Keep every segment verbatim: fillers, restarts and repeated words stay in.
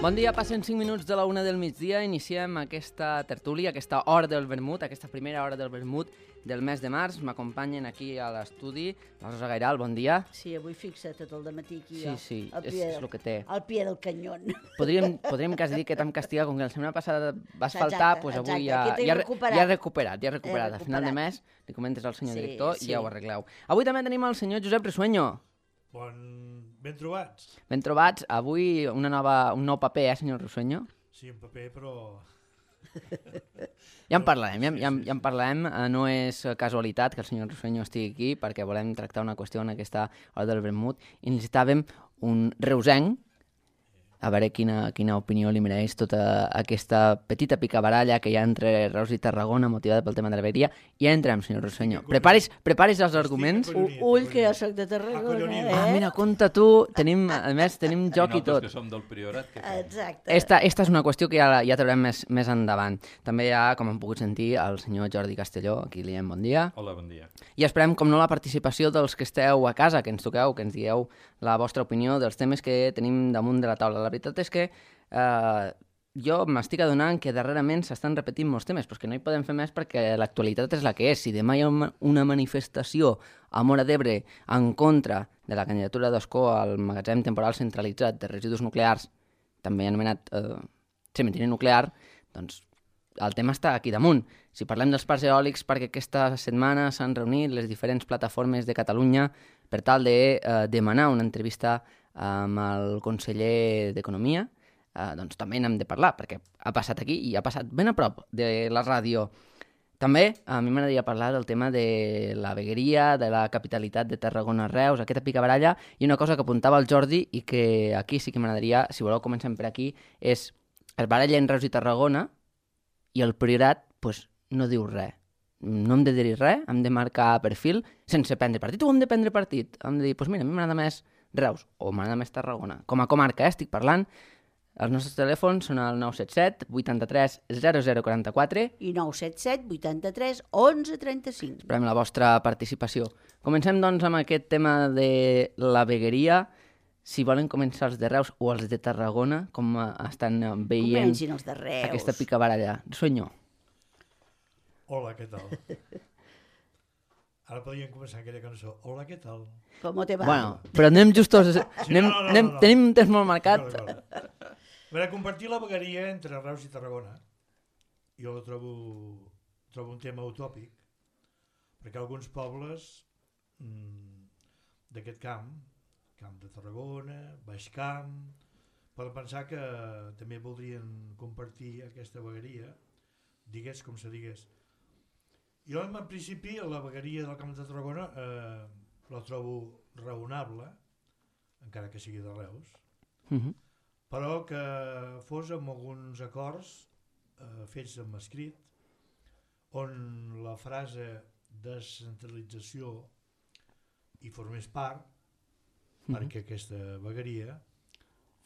Bon dia, passen cinc minuts de la una del migdia, iniciem aquesta tertúlia, aquesta hora del vermut, aquesta primera hora del vermut del mes de març. M'acompanyen aquí a l'estudi la Rosa Gairal, bon dia. Sí, avui fixa't tot el dematí aquí. Sí, sí, és, és el que té. Al pie del canyón. Podríem, podríem quasi dir que t'hem castigat, com que la setmana passada vas faltar, doncs avui ja, ja, recuperat. ja has recuperat, ja has recuperat. A final de mes li comentes al senyor sí, director sí. I ja ho arregleu. Avui també tenim el senyor Josep Risueño. Bon... Ben trobats. Ben trobats. Avui una nova, un nou paper, eh, senyor Risueño? Sí, un paper, però... Ja en parlarem, ja, ja, ja en parlarem. No és casualitat que el senyor Risueño estigui aquí perquè volem tractar una qüestió en aquesta hora del vermut i necessitàvem un reusenc, a veure quina, quina opinió li mereix tota aquesta petita picabaralla que hi ha entre Reus i Tarragona motivada pel tema de la vegueria. I ja entrem, senyor Risueño. Preparis, preparis els arguments. Ull, que jo soc de Tarragona, eh? Ah, mira, compte tu. Tenim, a més, tenim joc i tot. I nosaltres que som del Priorat. Que Exacte. Esta, esta és una qüestió que ja, ja traurem més, més endavant. També hi ha, com hem pogut sentir, el senyor Jordi Castelló. Aquí li diem bon dia. Hola, bon dia. I esperem, com no, la participació dels que esteu a casa, que ens toqueu, que ens digueu la vostra opinió dels temes que tenim damunt de la taula. La veritat és que Uh, jo m'estic adonant que darrerament s'estan repetint molts temes, però que no hi podem fer més perquè l'actualitat és la que és. Si demà hi ha una manifestació a Móra d'Ebre en contra de la candidatura d'Escó al magatzem temporal centralitzat de residus nuclears, també anomenat uh, cementiri nuclear, doncs el tema està aquí damunt. Si parlem dels parcs eòlics, perquè aquesta setmana s'han reunit les diferents plataformes de Catalunya per tal de uh, demanar una entrevista amb el conseller d'Economia, Uh, doncs també n'hem de parlar, perquè ha passat aquí i ha passat ben a prop de la ràdio. També a mi m'agradaria parlar del tema de la vegueria, de la capitalitat de Tarragona-Reus, aquesta picabaralla, i una cosa que apuntava el Jordi i que aquí sí que m'agradaria, si voleu comencem per aquí, és el baralla en Reus i Tarragona i el Priorat pues, no diu res. No hem de dir res, hem de marcar perfil sense prendre partit. O hem de prendre partit? Hem de dir, pues mira, a mi m'agrada més Reus o m'agrada més Tarragona. Com a comarca, eh, estic parlant. Els nostres telèfons són el nou set set vuitanta-tres zero zero quaranta-quatre i nou set set vuitanta-tres onze trenta-cinc. Esperem la vostra participació. Comencem, doncs, amb aquest tema de la vegueria. Si volen començar els de Reus o els de Tarragona, com estan veient Comencin els de Reus. Aquesta picabaralla. Senyor. Hola, què tal? Ara podríem començar aquella cançó. Hola, què tal? Com te va? Bueno, però anem justos... Sí, anem, no, no, no, anem, no. Tenim un temps molt marcat. D'acord, d'acord. A veure, compartir la vegueria entre Reus i Tarragona, jo trobo, trobo un tema utòpic, perquè alguns pobles mmm, d'aquest camp, Camp de Tarragona, Baix Camp, poden pensar que també voldrien compartir aquesta vegueria, digués com se digués. Jo, en principi, la vegueria del Camp de Tarragona eh, la trobo raonable, encara que sigui de Reus, Uh-huh. però que fos amb alguns acords eh, fets amb escrit, on la frase descentralització hi formés part, uh-huh. perquè aquesta vegueria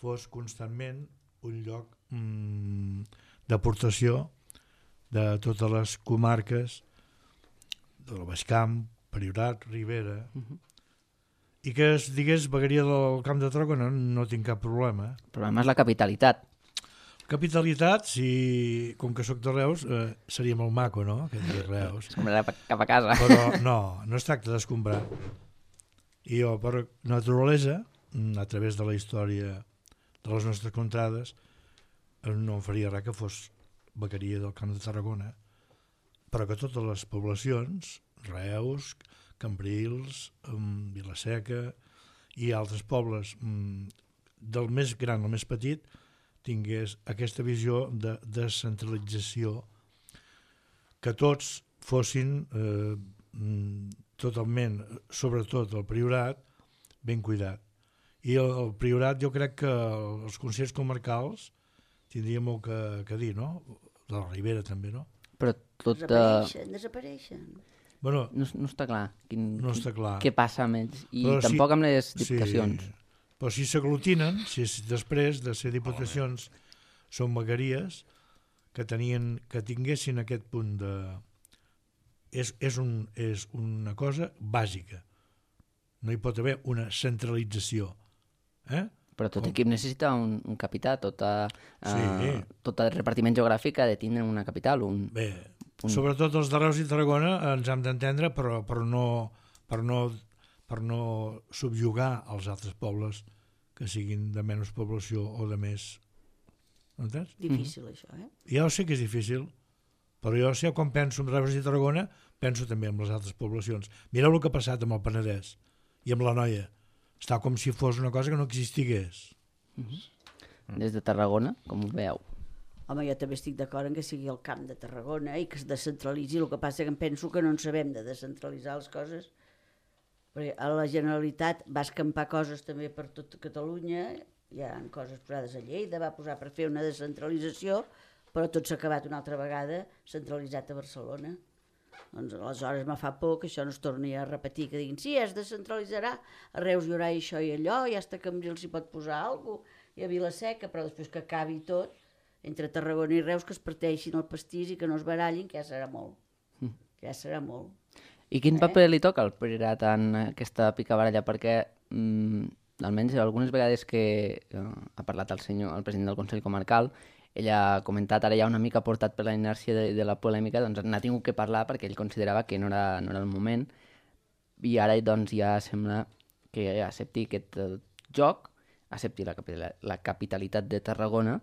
fos constantment un lloc mm, d'aportació de totes les comarques del Baix Camp, Priorat, Ribera, uh-huh. i que es digués vegueria del Camp de Tarragona, no tinc cap problema. El problema és la capitalitat. Capitalitat, si, com que sóc de Reus, eh, seria molt maco, no?, que dir Reus. Es comprarà cap a casa. Però no, no es tracta d'escombrar. I jo, per naturalesa, a través de la història de les nostres contrades, no em faria res que fos vegueria del Camp de Tarragona, però que totes les poblacions, Reus, Cambrils, um, Vilaseca i altres pobles, um, del més gran al més petit, tingués aquesta visió de descentralització, que tots fossin eh, totalment, sobretot el Priorat, ben cuidat. I el, el Priorat, jo crec que els consells comarcals tindria molt que, que dir, no? De la Ribera també, no? Però tot... Desapareixen, uh... desapareixen. Bueno, no, no està clar, quin, no està clar què passa amb ells i però tampoc si, amb les diputacions. Sí, però si s'aglutinen, si després de ser diputacions són vegueries que, tenien, que tinguessin aquest punt de... És, és, un, és una cosa bàsica. No hi pot haver una centralització. Eh? Però tot Com? equip necessita un, un capità, tota, Sí. uh, tot el repartiment geogràfic ha de tindre una capital. Un... Bé, Un- sobretot els de Reus i Tarragona ens hem d'entendre, però per no, per, no, per no subjugar els altres pobles que siguin de menys població o de més. Entens? Difícil, això, eh? Ja ho sé que és difícil, però jo sé quan penso en Reus i Tarragona penso també en les altres poblacions. Mireu el que ha passat amb el Penedès i amb la Noia. Està com si fos una cosa que no existigués. Des de Tarragona, com ho veieu? Home, jo també estic d'acord en que sigui el camp de Tarragona i que es descentralitzi. El que passa que em penso que no en sabem de descentralitzar les coses, perquè a la Generalitat va escampar coses també per tot Catalunya, hi ha coses posades a Lleida, va posar per fer una descentralització, però tot s'ha acabat una altra vegada centralitzat a Barcelona. Doncs aleshores me fa por que això no es torni a repetir, que diguin, sí, es descentralitzarà, a Reus hi haurà això i allò, i hasta a Cambrils s'hi pot posar alguna cosa, i a Vilaseca, però després que acabi tot, entre Tarragona i Reus, que es parteixin el pastís i que no es barallin, que ja serà molt. Mm. Que ja serà molt. I quin Eh? paper li toca al Priorat en aquesta picabaralla? Perquè, mm, almenys algunes vegades que eh, ha parlat el senyor, el president del Consell Comarcal, ell ha comentat, ara ja una mica portat per la inèrcia de, de la polèmica, doncs n'ha tingut que parlar perquè ell considerava que no era, no era el moment, i ara doncs ja sembla que accepti aquest eh, joc, accepti la, capitala, la capitalitat de Tarragona,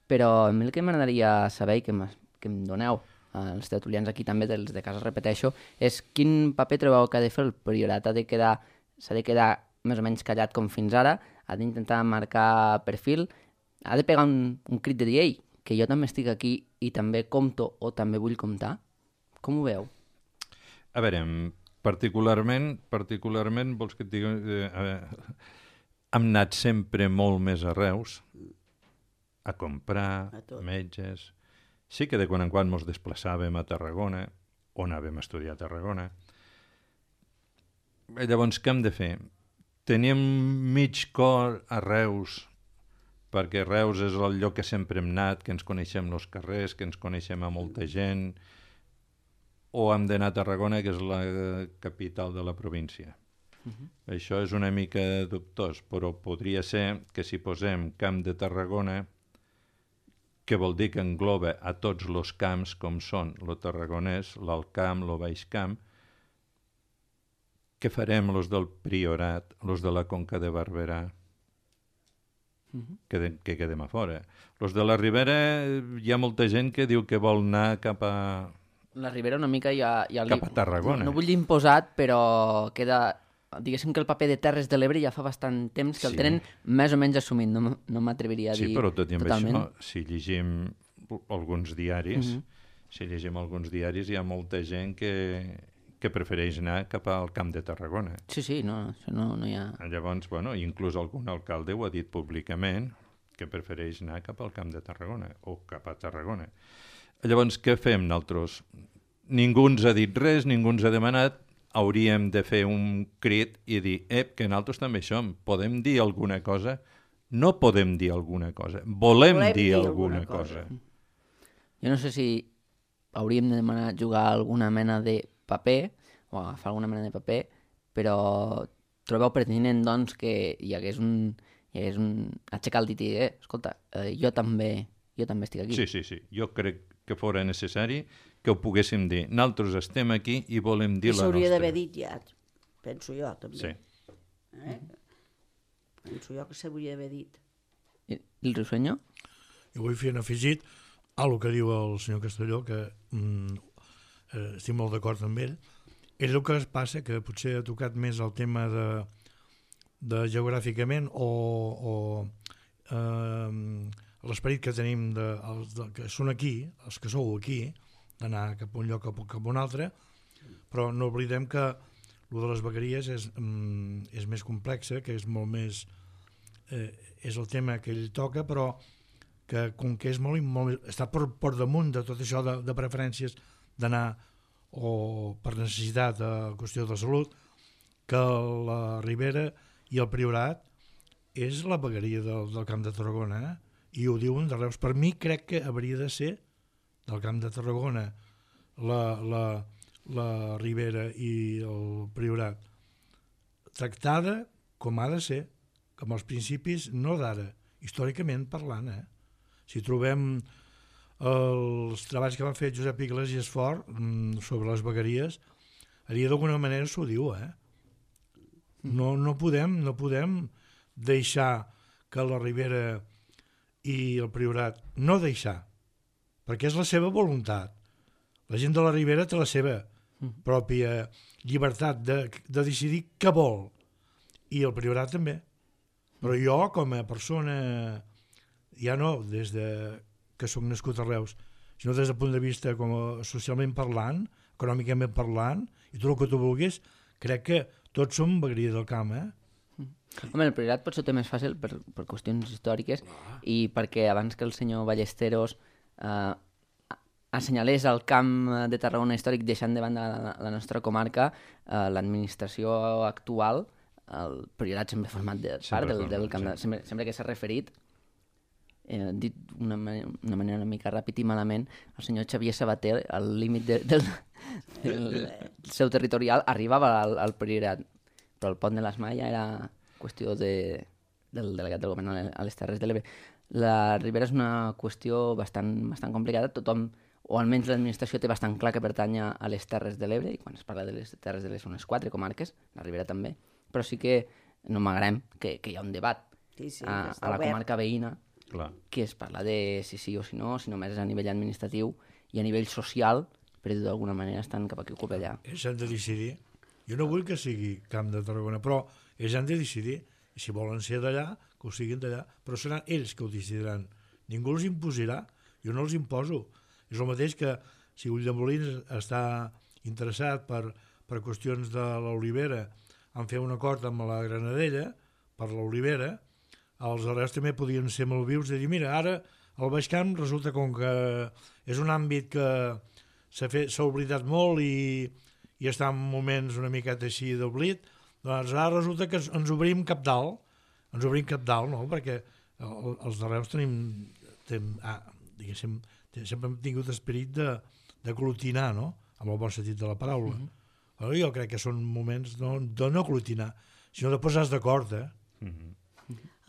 però a mi el que m'agradaria saber i que, que em doneu als tertulians aquí també, dels de casa repeteixo, és quin paper trobeu que ha de fer el Priorat? Ha de quedar, s'ha de quedar més o menys callat com fins ara, ha d'intentar marcar perfil, ha de pegar un, un crit de dir, ei, que jo també estic aquí i també compto o també vull comptar? Com ho veu? A veure, particularment, particularment vols que et digui... Eh, eh, hem anat sempre molt més a Reus a comprar, A tot. metges... Sí que de quan en quan ens desplaçàvem a Tarragona, o anàvem a estudiar a Tarragona. Llavors, què hem de fer? Teníem mig cor a Reus, perquè Reus és el lloc que sempre hem anat, que ens coneixem els carrers, que ens coneixem a molta gent, o hem d'anar a Tarragona, que és la capital de la província. Uh -huh. Això és una mica dubtós, però podria ser que si posem Camp de Tarragona, que vol dir que engloba a tots els camps, com són el Tarragonès, l'Alt Camp, el Baix Camp, què farem els del Priorat, els de la Conca de Barberà? Uh -huh. que, que quedem a fora. Els de la Ribera, hi ha molta gent que diu que vol anar cap a... La Ribera una mica ja... ja li... Cap a Tarragona. No, no vull dir imposat, però queda... Diguéssim que el paper de Terres de l'Ebre ja fa bastant temps que Sí. el tenen més o menys assumit, no, m- no m'atreviria a dir Sí, però tot i amb totalment. això, si llegim alguns diaris, Mhm. si llegim alguns diaris, hi ha molta gent que, que prefereix anar cap al Camp de Tarragona. Sí, sí, no, això no, no hi ha... Llavors, bueno, inclús algun alcalde ho ha dit públicament, que prefereix anar cap al Camp de Tarragona, o cap a Tarragona. Llavors, què fem nosaltres? Ningú ens ha dit res, ningú ens ha demanat, hauríem de fer un crit i dir, ep, que nosaltres també som, podem dir alguna cosa? No podem dir alguna cosa, volem, Volem dir, dir alguna, alguna cosa. cosa. Jo no sé si hauríem de demanar jugar alguna mena de paper, o agafar alguna mena de paper, però trobeu pertinent, doncs, que hi hagués un... Hi hagués un... aixecar el dit i dir, eh, escolta, eh, jo també jo també estic aquí. Sí, sí, sí. Jo crec que fora necessari que ho poguéssim dir. Nosaltres estem aquí i volem dir I la s'hauria nostra. d'haver dit ja, penso jo, també. Sí. Eh? Penso jo que s'hauria d'haver dit. I, i el Risueño? Jo vull fer un afegit a el que diu el senyor Castelló, que mm, eh, estic molt d'acord amb ell. Ell el que es passa, que potser ha tocat més el tema de, de geogràficament o, o eh, l'esperit que tenim de, els de, que són aquí, els que sou aquí, d'anar cap a un lloc cap, cap a un altre, però no oblidem que el de les vegueries és, mm, és més complexa, que és molt més... Eh, és el tema que ell toca, però que com que és molt, molt està per, per damunt de tot això de, de preferències d'anar o per necessitat de qüestió de salut, que la Ribera i el Priorat és la vegueria del, del Camp de Tarragona, eh? I ho diuen de Reus. Per mi crec que hauria de ser del Camp de Tarragona la, la, la Ribera i el Priorat tractada com ha de ser, com els principis, no d'ara, històricament parlant, eh? Si trobem els treballs que van fer Josep Iglesias Fort sobre les vegueries, allà d'alguna manera s'ho diu, eh? No, no, podem, no podem deixar que la Ribera i el Priorat, no deixar, perquè és la seva voluntat. La gent de la Ribera té la seva pròpia llibertat de, de decidir què vol, i el Priorat també. Però jo, com a persona, ja no des de que soc nascut a Reus, sinó des del punt de vista com a socialment parlant, econòmicament parlant, i tot el que tu vulguis, crec que tots som vegueria del camp, eh? Home, el Priorat potser ho té més fàcil per, per qüestions històriques i perquè abans que el senyor Ballesteros eh, assenyalés el camp de Tarragona històric deixant de banda la, la nostra comarca, eh, l'administració actual, el Priorat sempre ha format de, part del, del camp, de, sempre, sempre que s'ha referit, eh, dit d'una una manera una mica ràpid i malament, el senyor Xavier Sabater, al límit de, del, del seu territorial, arribava al, al Priorat, però el pont de l'Esmalla era qüestió de, del delegat del govern a les Terres de l'Ebre. La Ribera és una qüestió bastant, bastant complicada, tothom, o almenys l'administració té bastant clar que pertany a les Terres de l'Ebre, i quan es parla de les Terres de l'Ebre són les quatre comarques, la Ribera també, però sí que no m'agrem que, que hi ha un debat sí, sí, a, a la comarca veïna, Clar. que es parla de si sí o si no, si només és a nivell administratiu i a nivell social, però d'alguna manera estan cap aquí o cap allà. Ells han de decidir. Jo no vull que sigui Camp de Tarragona, però ells han de decidir. I si volen ser d'allà, que ho siguin d'allà, però seran ells que ho decidiran. Ningú els imposarà, jo no els imposo. És el mateix que si Ulldemolins està interessat per, per qüestions de l'olivera en fer un acord amb la Granadella per l'olivera, els arrels també podien ser molt vius de dir, mira, ara el Baix Camp resulta com que és un àmbit que s'ha fet, s'ha oblidat molt i, i està en moments una miqueta així d'oblit, doncs ara resulta que ens obrim cap dalt, ens obrim cap dalt, no? Perquè el, els de Reus tenim, tenim ah, diguéssim, sempre hem tingut esperit de, de glutinar, no? Amb el bon sentit de la paraula. Mm-hmm. Jo crec que són moments no, de no glutinar, sinó de posar-se d'acord, eh? Mm-hmm.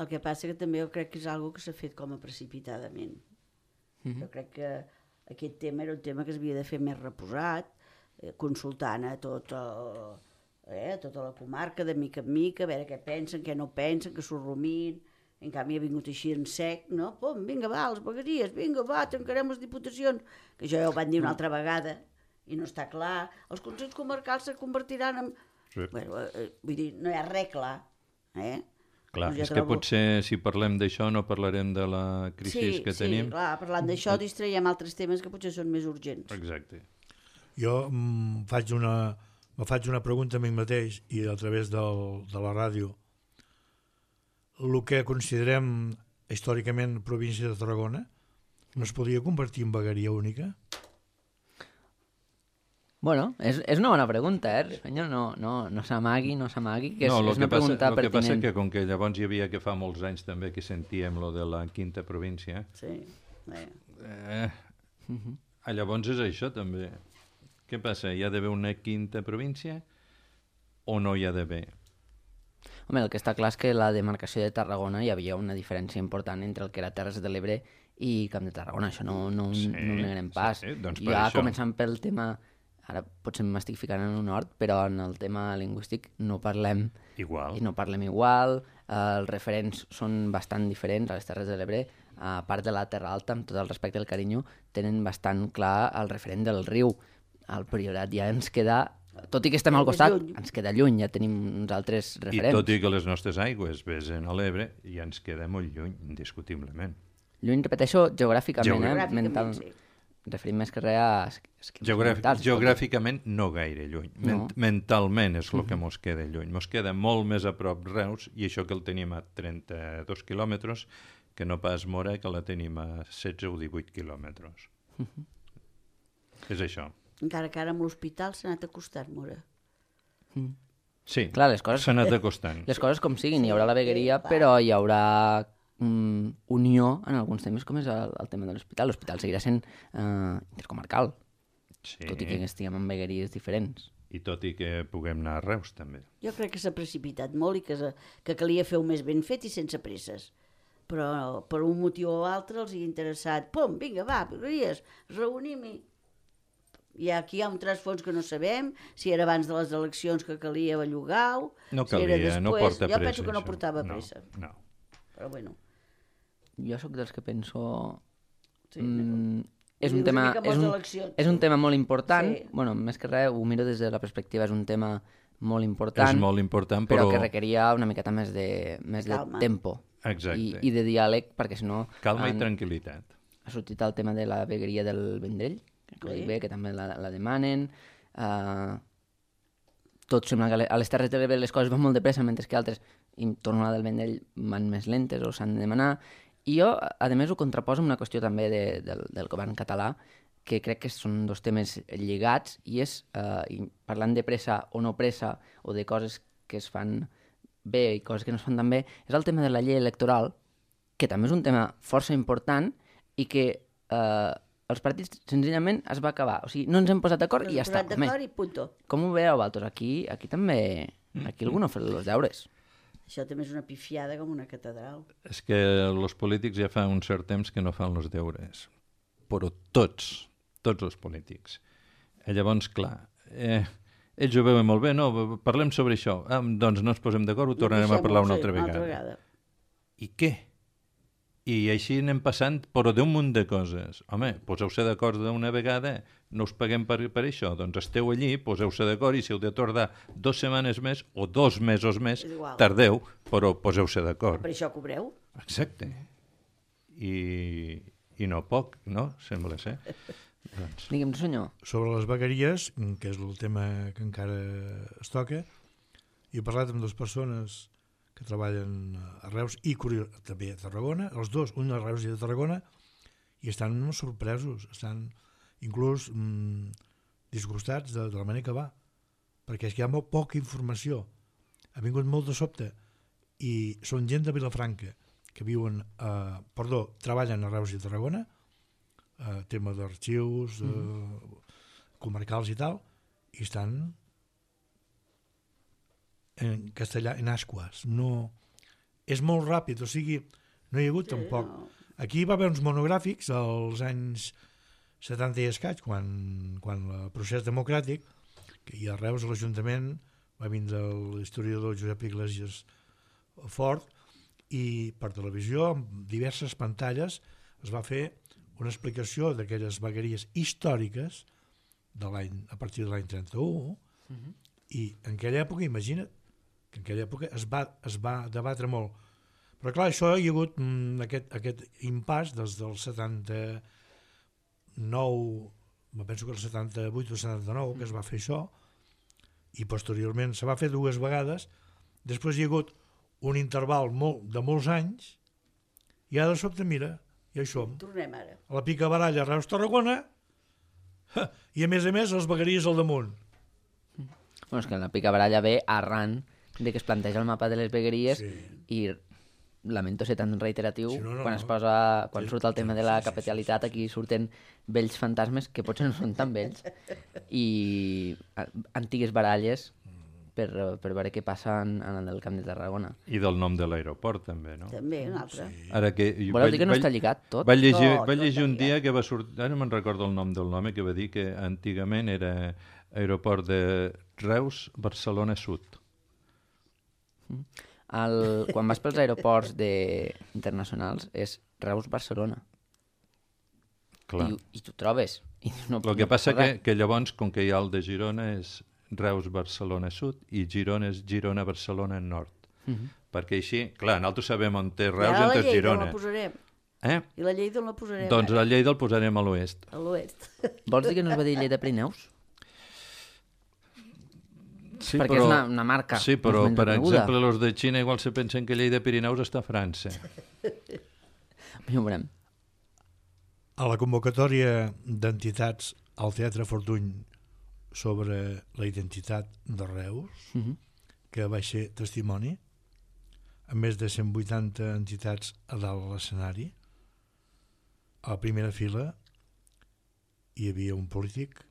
El que passa que també jo crec que és algo que s'ha fet com a precipitadament. Mm-hmm. Jo crec que aquest tema era un tema que s'havia de fer més reposat, eh, consultant a tot el, eh, tota la comarca, de mica en mica, a veure què pensen, què no pensen, que s'ho rumin. En canvi ha vingut així en sec, no? Pum, vinga, va, les vegueries, vinga, va, tancarem les diputacions. Que això ja ho van dir una altra vegada i no està clar. Els consells comarcals se convertiran en... Sí. Bueno, eh, vull dir, no hi ha res clar, eh? Clar, doncs ja és trobo... que potser si parlem d'això no parlarem de la crisi sí, que sí, tenim. Sí, clar, parlant d'això distraiem altres temes que potser són més urgents. Exacte. Jo mm, faig una, me faig una pregunta a mi mateix i a través del, de la ràdio. El que considerem històricament província de Tarragona no es podria convertir en vegueria única? Bueno, és, és una bona pregunta, eh? Senyor, no, no, no s'amagui, no s'amagui, que és, no, és una que pregunta passa, pertinent. El que passa que com que llavors hi havia que fa molts anys també que sentíem lo de la quinta província, Sí, eh. eh, uh-huh. llavors és això també. Què passa? Hi ha d'haver una quinta província o no hi ha d'haver? Home, el que està clar és que la demarcació de Tarragona hi havia una diferència important entre el que era Terres de l'Ebre i Camp de Tarragona, això no, no, Sí, no ho negarem pas. sí, doncs per ja això. començant pel tema, ara potser m'estic ficant en un hort, però en el tema lingüístic no parlem Igual. i no parlem igual, eh, els referents són bastant diferents a les Terres de l'Ebre, a part de la Terra Alta, amb tot el respecte i el carinyo, tenen bastant clar el referent del riu. El Priorat ja ens queda, tot i que estem al costat, ens queda lluny, ja tenim uns altres referents. I tot i que les nostres aigües vesen a l'Ebre, ja ens queda molt lluny, indiscutiblement. Lluny, repeteixo, geogràficament, Geogràficament, eh? Mental... sí. Referim més que res a... Geogràfic, geogràficament no gaire lluny. No. Ment mentalment és el que mos queda lluny. Mos queda molt més a prop Reus, i això que el tenim a trenta-dos quilòmetres, que no pas Mora, que la tenim a setze o divuit quilòmetres. Uh -huh. És això. Encara que ara amb l'hospital s'ha anat acostant, Mora. Mm. Sí, Clar, les coses... s'ha anat acostant. Les coses com siguin, hi haurà la vegueria, Sí, però hi haurà mm, unió en alguns temes, com és el, el tema de l'hospital. L'hospital seguirà sent eh, intercomarcal, Sí. tot i que estiguem en vegueries diferents. i tot i que puguem anar a Reus també. Jo crec que s'ha precipitat molt i que, que calia fer-ho més ben fet i sense presses. Però per un motiu o altre els hi ha interessat. Pum, vinga, va, Rodríguez, reunim-hi. I aquí hi ha un trasfons que no sabem, si era abans de les eleccions que calia bellugar-ho, No si era calia, després. no porta jo pressa. penso que no això. portava no, pressa. No. Però bueno. Jo sóc dels que penso... Sí, Mm, és, un Dius tema, una mica amb és, les un, eleccions, és un sí. tema molt important. Sí. Bueno, més que res, ho miro des de la perspectiva, és un tema molt important, És molt important, però... però... que requeria una miqueta més de, més de Calma. tempo Exacte. i, i de diàleg, perquè si no... Calma i han- tranquil·litat. Ha sortit el tema de la vegueria del Vendrell, que, Sí. sí. bé, que també la, la demanen. Uh, tot sembla que a les Terres de l'Ebre les coses van molt de pressa, mentre que altres, i torno a la del Vendrell, van més lentes o s'han de demanar. I jo, a més, ho contraposo amb una qüestió també de, del, del govern català, que crec que són dos temes lligats, i és, uh, i parlant de pressa o no pressa, o de coses que es fan bé i coses que no es fan tan bé, és el tema de la llei electoral, que també és un tema força important i que eh, els partits senzillament es va acabar. O sigui, no ens hem posat d'acord i ja està. Posat d'acord i punto. Com ho veieu, Valtos? Aquí, aquí també... Aquí algú no ha fet els deures. Això també és una pifiada com una catedral. És que els polítics ja fa un cert temps que no fan els deures. Però tots, tots els polítics. I llavors, clar, eh, ells ho veuen molt bé, no, parlem sobre això. Ah, doncs no ens posem d'acord, ho tornarem a parlar una altra vegada. Una altra vegada. I què? I així anem passant, però d'un munt de coses. Home, poseu-se d'acord d'una vegada, no us paguem per, per això, doncs esteu allí, poseu-se d'acord i si heu de tardar dues setmanes més o dos mesos més, És igual. tardeu, però poseu-se d'acord. Per això cobreu? Exacte. I, i no poc, no? Sembla ser. Doncs, Digue'm, senyor. Sobre les vegueries, que és el tema que encara es toca, he parlat amb dues persones que treballen a Reus i curiós, també a Tarragona, els dos, un a Reus i a Tarragona, i estan sorpresos, estan inclús mmm, disgustats de, de la manera que va, perquè és que hi ha molt poca informació. Ha vingut molt de sobte i són gent de Vilafranca que viuen, eh, perdó, treballen a Reus i a Tarragona, eh, tema d'arxius, eh, mm. comarcals i tal, i estan en castellà, en ascuas. No, és molt ràpid, o sigui, no hi ha hagut sí, tampoc. No. Aquí va haver uns monogràfics als anys setanta i escaig, quan, quan el procés democràtic, que hi a Reus a l'Ajuntament va vindre l'historiador Josep Iglesias Fort, i per televisió, amb diverses pantalles, es va fer una explicació d'aquelles vegueries històriques de l'any, a partir de l'any trenta-u, uh-huh. i en aquella època, imagina't, que en aquella època es va, es va debatre molt. Però clar, això hi ha hagut mm, aquest, aquest impàs des del setanta-nou, me penso que el setanta-vuit o setanta-nou, que es va fer això, i posteriorment se va fer dues vegades, després hi ha hagut un interval molt, de molts anys, i ara de sobte, mira, ja hi som. Tornem ara. A la picabaralla Reus-Tarragona, i a més a més els vegueries al damunt. Bueno, és que la picabaralla ve arran de que es planteja el mapa de les vegueries sí. i lamento ser tan reiteratiu, sí, no, no, quan es posa, quan sí, surt el tema de la capitalitat, aquí surten vells fantasmes que potser no són tan vells i antigues baralles per, per veure què passa en, en el Camp de Tarragona. I del nom de l'aeroport també, no? També, un altre. Sí. Ara que, Voleu vaig, dir que no vaig, està lligat tot? Vaig llegir, Tot, vaig llegir tot un dia que va sortir, ara no me'n recordo el nom del home, que va dir que antigament era aeroport de Reus, Barcelona Sud. El, quan vas pels aeroports de, internacionals és Reus-Barcelona. I, i tu trobes. I no, el que no passa que, res. que llavors, com que hi ha el de Girona, és Reus-Barcelona Sud i Girona és Girona-Barcelona Nord. Uh -huh. Perquè així, clar, nosaltres sabem on té Reus i on té Girona. I la posarem. Eh? I la Lleida on la posarem? Doncs la Lleida el posarem a l'oest. A l'oest. Vols dir que no es va dir Lleida Pirineus? Sí, perquè però, és una, una marca. Sí, però, per coneguda. exemple, els de Xina igual se pensen que Lleida Pirineus està a França. Ja ho veurem. A la convocatòria d'entitats al Teatre Fortuny sobre la identitat de Reus, uh-huh. que va ser testimoni, amb més de cent vuitanta entitats a dalt de l'escenari, a la primera fila hi havia un polític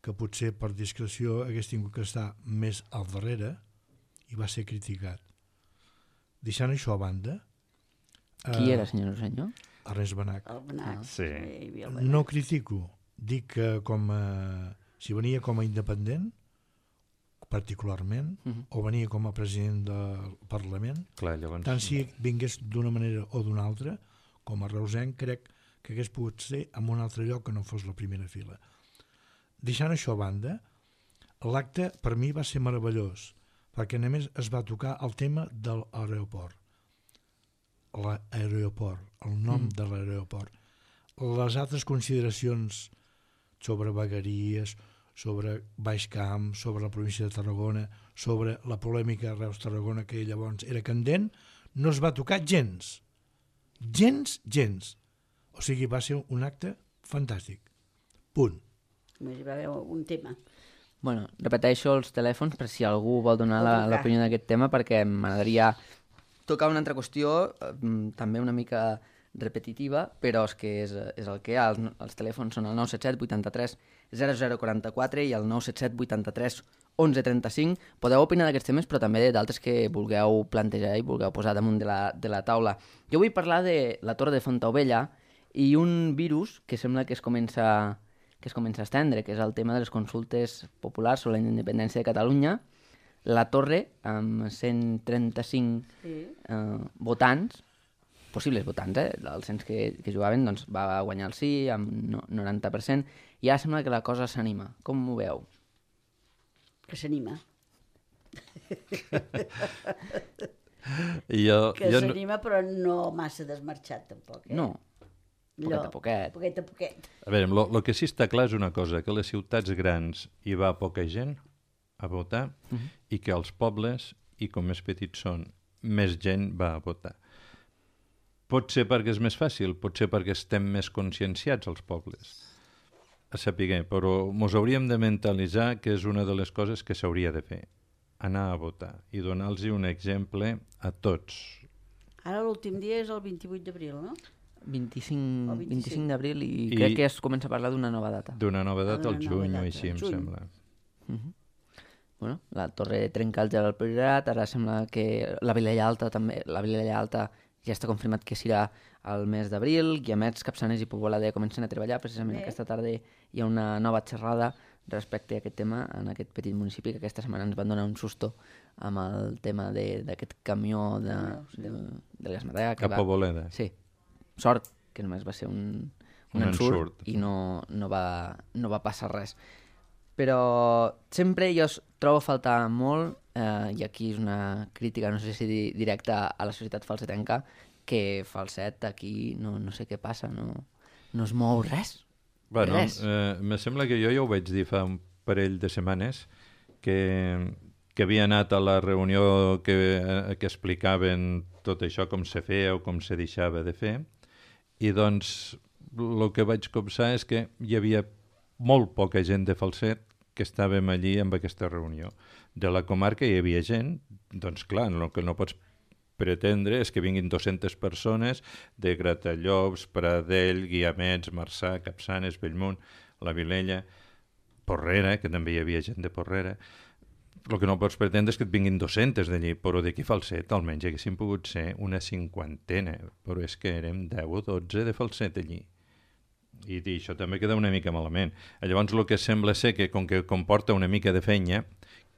que potser per discreció hagués tingut que estar més al darrere i va ser criticat. Deixant això a banda... Qui eh, era, senyor senyor? Ernest Benach. El Benac. Sí. Hi havia el Benac. No critico, dic que com a, si venia com a independent, particularment, Uh -huh. o venia com a president del Parlament, Clar, llavors... tant si vingués d'una manera o d'una altra, com a reusenc, crec que hagués pogut ser en un altre lloc que no fos la primera fila. Deixant això a banda, l'acte per mi va ser meravellós, perquè només es va tocar el tema de l'aeroport. L'aeroport, el nom mm. de l'aeroport. Les altres consideracions sobre vegueries, sobre Baix Camp, sobre la província de Tarragona, sobre la polèmica Reus-Tarragona, que llavors era candent, no es va tocar gens. Gens, gens. O sigui, va ser un acte fantàstic. Punt. Només hi va haver un tema. Bueno, repeteixo els telèfons per si algú vol donar la- l'opinió d'aquest tema, perquè m'agradaria tocar una altra qüestió, eh, també una mica repetitiva, però és que és, és el que hi ha. Els, els telèfons són el nou set set vuitanta-tres zero zero quaranta-quatre i el nou set set vuitanta-tres onze trenta-cinc. Podeu opinar d'aquests temes, però també d'altres que vulgueu plantejar i vulgueu posar damunt de la, de la taula. Jo vull parlar de la Torre de Fontaubella i un virus que sembla que es comença que es comença a estendre, que és el tema de les consultes populars sobre la independència de Catalunya. La Torre, amb cent trenta-cinc Sí. eh, votants, possibles votants, eh, dels cent que, que jugaven, doncs va guanyar el sí amb no, noranta per cent, i ara sembla que la cosa s'anima. Com ho veu? Que s'anima. I jo, Que jo no- s'anima, però no massa desmarxat, tampoc. Eh? No, poquet a poquet. Poquet a poquet. A veure, el que sí està clar és una cosa, que a les ciutats grans hi va poca gent a votar Uh -huh. i que als pobles, i com més petits són, més gent va a votar. Pot ser perquè és més fàcil, pot ser perquè estem més conscienciats als pobles, a saber, però mos hauríem de mentalitzar que és una de les coses que s'hauria de fer, anar a votar i donar-los un exemple a tots. Ara l'últim dia és el vint-i-vuit d'abril, no? vint-i-cinc, El vint-i-cinc. vint-i-cinc d'abril i, I- crec que es comença a parlar d'una nova data. D'una nova data D'una al nova juny o data, així, em juny. sembla. Uh -huh. Bueno, la Torre trenca el gel al Priorat, ara sembla que la Vilella Alta també, la Vilella Alta ja està confirmat que serà al mes d'abril, Guiamets, Capçanes i Pobolada comencen a treballar, precisament Bé. aquesta tarda hi ha una nova xerrada respecte a aquest tema en aquest petit municipi que aquesta setmana ens van donar un susto amb el tema de- d'aquest camió de, Ah, sí. de, de l'Esmadea. que Cap va- a Boleda. Sí, sort que només va ser un, un, Un ensurt, ensurt. i no, no, va, no va passar res. Però sempre jo es trobo a faltar molt, eh, i aquí és una crítica, no sé si di- directa a la societat falsetenca, que Falset aquí no, no sé què passa, no, no es mou res. Bueno, Res. eh, me sembla que jo ja ho vaig dir fa un parell de setmanes, que, que havia anat a la reunió que, eh, que explicaven tot això, com se feia o com se deixava de fer, i doncs el que vaig copsar és que hi havia molt poca gent de Falset que estàvem allí amb aquesta reunió. De la comarca hi havia gent, doncs clar, el que no pots pretendre és que vinguin dues-centes persones de Gratallops, Pradell, Guiamets, Marçà, Capçanes, Bellmunt, la Vilella, Porrera, que també hi havia gent de Porrera. El que no pots pretendre és que et vinguin dues-centes d'allí, però d'aquí Falset almenys haguessin pogut ser una cinquantena, però és que érem deu o dotze de Falset allí. I, i això també queda una mica malament. Llavors el que sembla ser que com que comporta una mica de feina,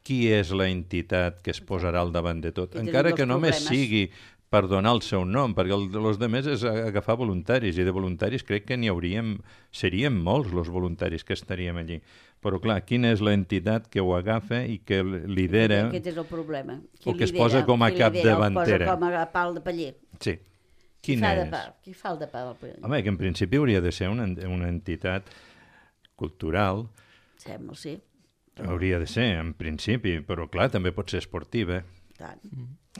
qui és la entitat que es posarà al davant de tot? I tenim Encara els que només problemes. sigui per donar el seu nom, perquè el, els altres és agafar voluntaris, i de voluntaris crec que n'hi hauríem, serien molts els voluntaris que estaríem allí. Però clar, quina és l'entitat que ho agafa i que lidera, Aquest és el problema. o que es posa com a Qui lidera, el capdavantera? posa com a pal de paller. sí, Qui quina fa de és? pa? Qui fa el de pa del paller? Home, que en principi hauria de ser una, una entitat cultural, Sembla, sí. hauria de ser, en principi, però clar, també pot ser esportiva. Tant.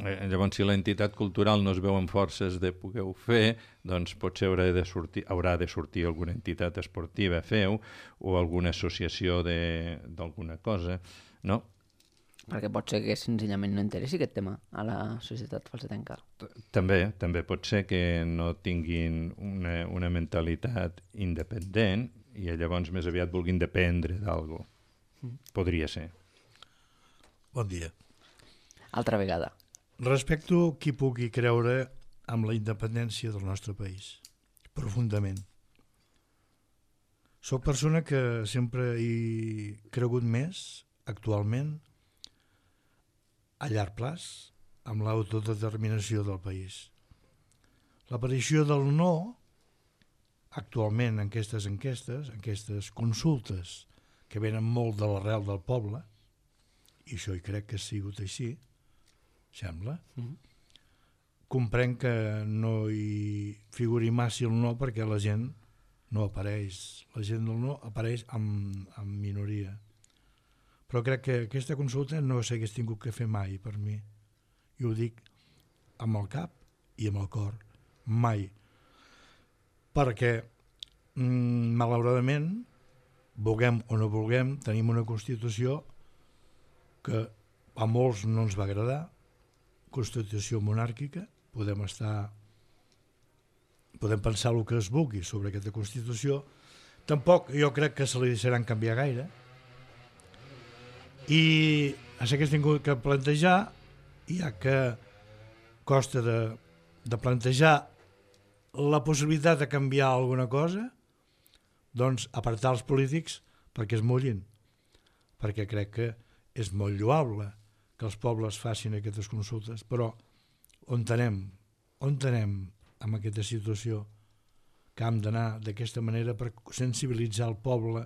Eh, llavors, si la entitat cultural no es veu amb forces de poder-ho fer, doncs potser haurà de sortir, haurà de sortir alguna entitat esportiva a fer-ho, o alguna associació de- d'alguna cosa, no? Perquè pot ser que senzillament no interessi aquest tema a la societat falsetenca. També, també pot ser que no tinguin una, una mentalitat independent i llavors més aviat vulguin dependre d'algú. Podria ser. Bon dia. Altra vegada. Respecto qui pugui creure amb la independència del nostre país, profundament. Soc persona que sempre he cregut més, actualment, a llarg plaç, amb l'autodeterminació del país. L'aparició del no, actualment en aquestes enquestes, en aquestes consultes que venen molt de l'arrel del poble, i això hi crec que ha sigut així, sembla, mm-hmm. comprenc que no hi figuri massa el no perquè la gent no apareix, la gent del no apareix en, en minoria. Però crec que aquesta consulta no s'hagués tingut que fer mai per mi. I ho dic amb el cap i amb el cor, mai. Perquè, mm, malauradament, vulguem o no vulguem, tenim una Constitució que a molts no ens va agradar, Constitució monàrquica, podem estar, podem pensar el que es vulgui sobre aquesta Constitució, tampoc jo crec que se li deixaran canviar gaire, i s'hagués tingut que plantejar, ja que costa de, de plantejar la possibilitat de canviar alguna cosa, doncs apartar els polítics perquè es mullin, perquè crec que és molt lloable que els pobles facin aquestes consultes, però on anem, on anem amb aquesta situació que hem d'anar d'aquesta manera per sensibilitzar el poble,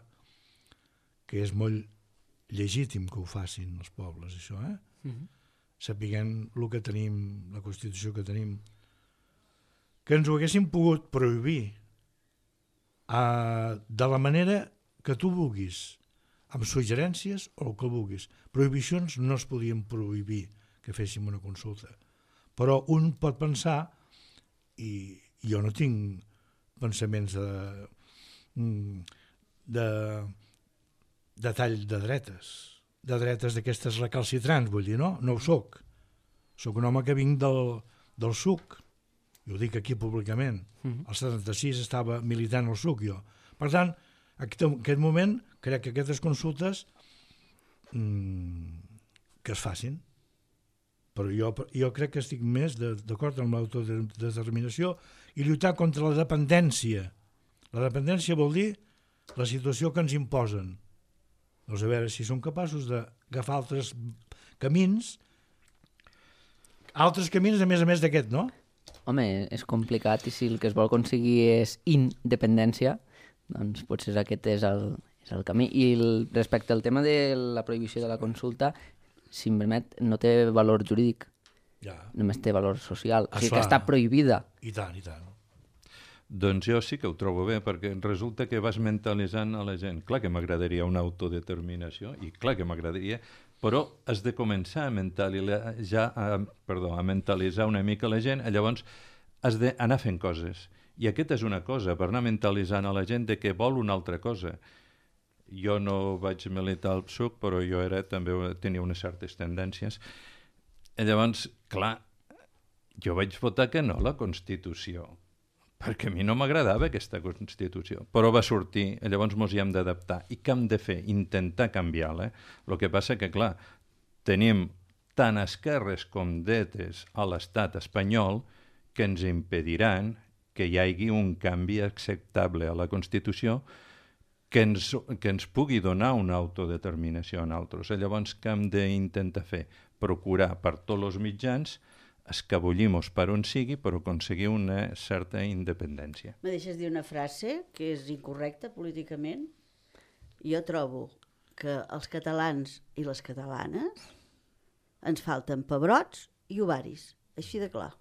que és molt legítim que ho facin els pobles, això, eh? Mm-hmm. Sapiguem el que tenim, la Constitució que tenim, que ens ho haguessin pogut prohibir uh, de la manera que tu vulguis, amb suggerències o el que vulguis. Prohibicions no es podien prohibir que féssim una consulta. Però un pot pensar, i jo no tinc pensaments de, de, de tall de dretes, de dretes d'aquestes recalcitrants, vull dir, no? No ho soc. Soc un home que vinc del, del suc, i ho dic aquí públicament. Mm-hmm. El setanta-sis estava militant al suc, jo. Per tant, en aquest moment crec que aquestes consultes mmm, que es facin, però jo, jo crec que estic més d'acord amb l'autodeterminació i lluitar contra la dependència. La dependència vol dir la situació que ens imposen. Doncs a veure si som capaços d'agafar altres camins, altres camins a més a més d'aquest, no? Home, és complicat i si el que es vol aconseguir és independència, doncs potser aquest és el, és el camí. I el, respecte al tema de la prohibició de la consulta, si em permet, no té valor jurídic, ja. Només té valor social, o sigui Esclar. que està prohibida. I tant, i tant. Doncs jo sí que ho trobo bé, perquè resulta que vas mentalitzant a la gent. Clar que m'agradaria una autodeterminació, i clar que m'agradaria, però has de començar a mentalitzar, a, perdó, a mentalitzar una mica la gent, llavors has d'anar fent coses. I aquesta és una cosa, per anar mentalitzant a la gent de que vol una altra cosa. Jo no vaig militar al P S U C, però jo era, també tenia unes certes tendències. I llavors, clar, jo vaig votar que no a la Constitució, perquè a mi no m'agradava aquesta Constitució, però va sortir, i llavors ens hi hem d'adaptar. I què hem de fer? Intentar canviar-la. El que passa que, clar, tenim tant esquerres com dretes a l'estat espanyol que ens impediran que hi hagi un canvi acceptable a la Constitució que ens, que ens pugui donar una autodeterminació a nosaltres. Llavors, què hem d'intentar fer? Procurar per tots els mitjans escabullir-nos per on sigui per aconseguir una certa independència. Me deixes dir una frase que és incorrecta políticament? Jo trobo que els catalans i les catalanes ens falten pebrots i ovaris, així de clar.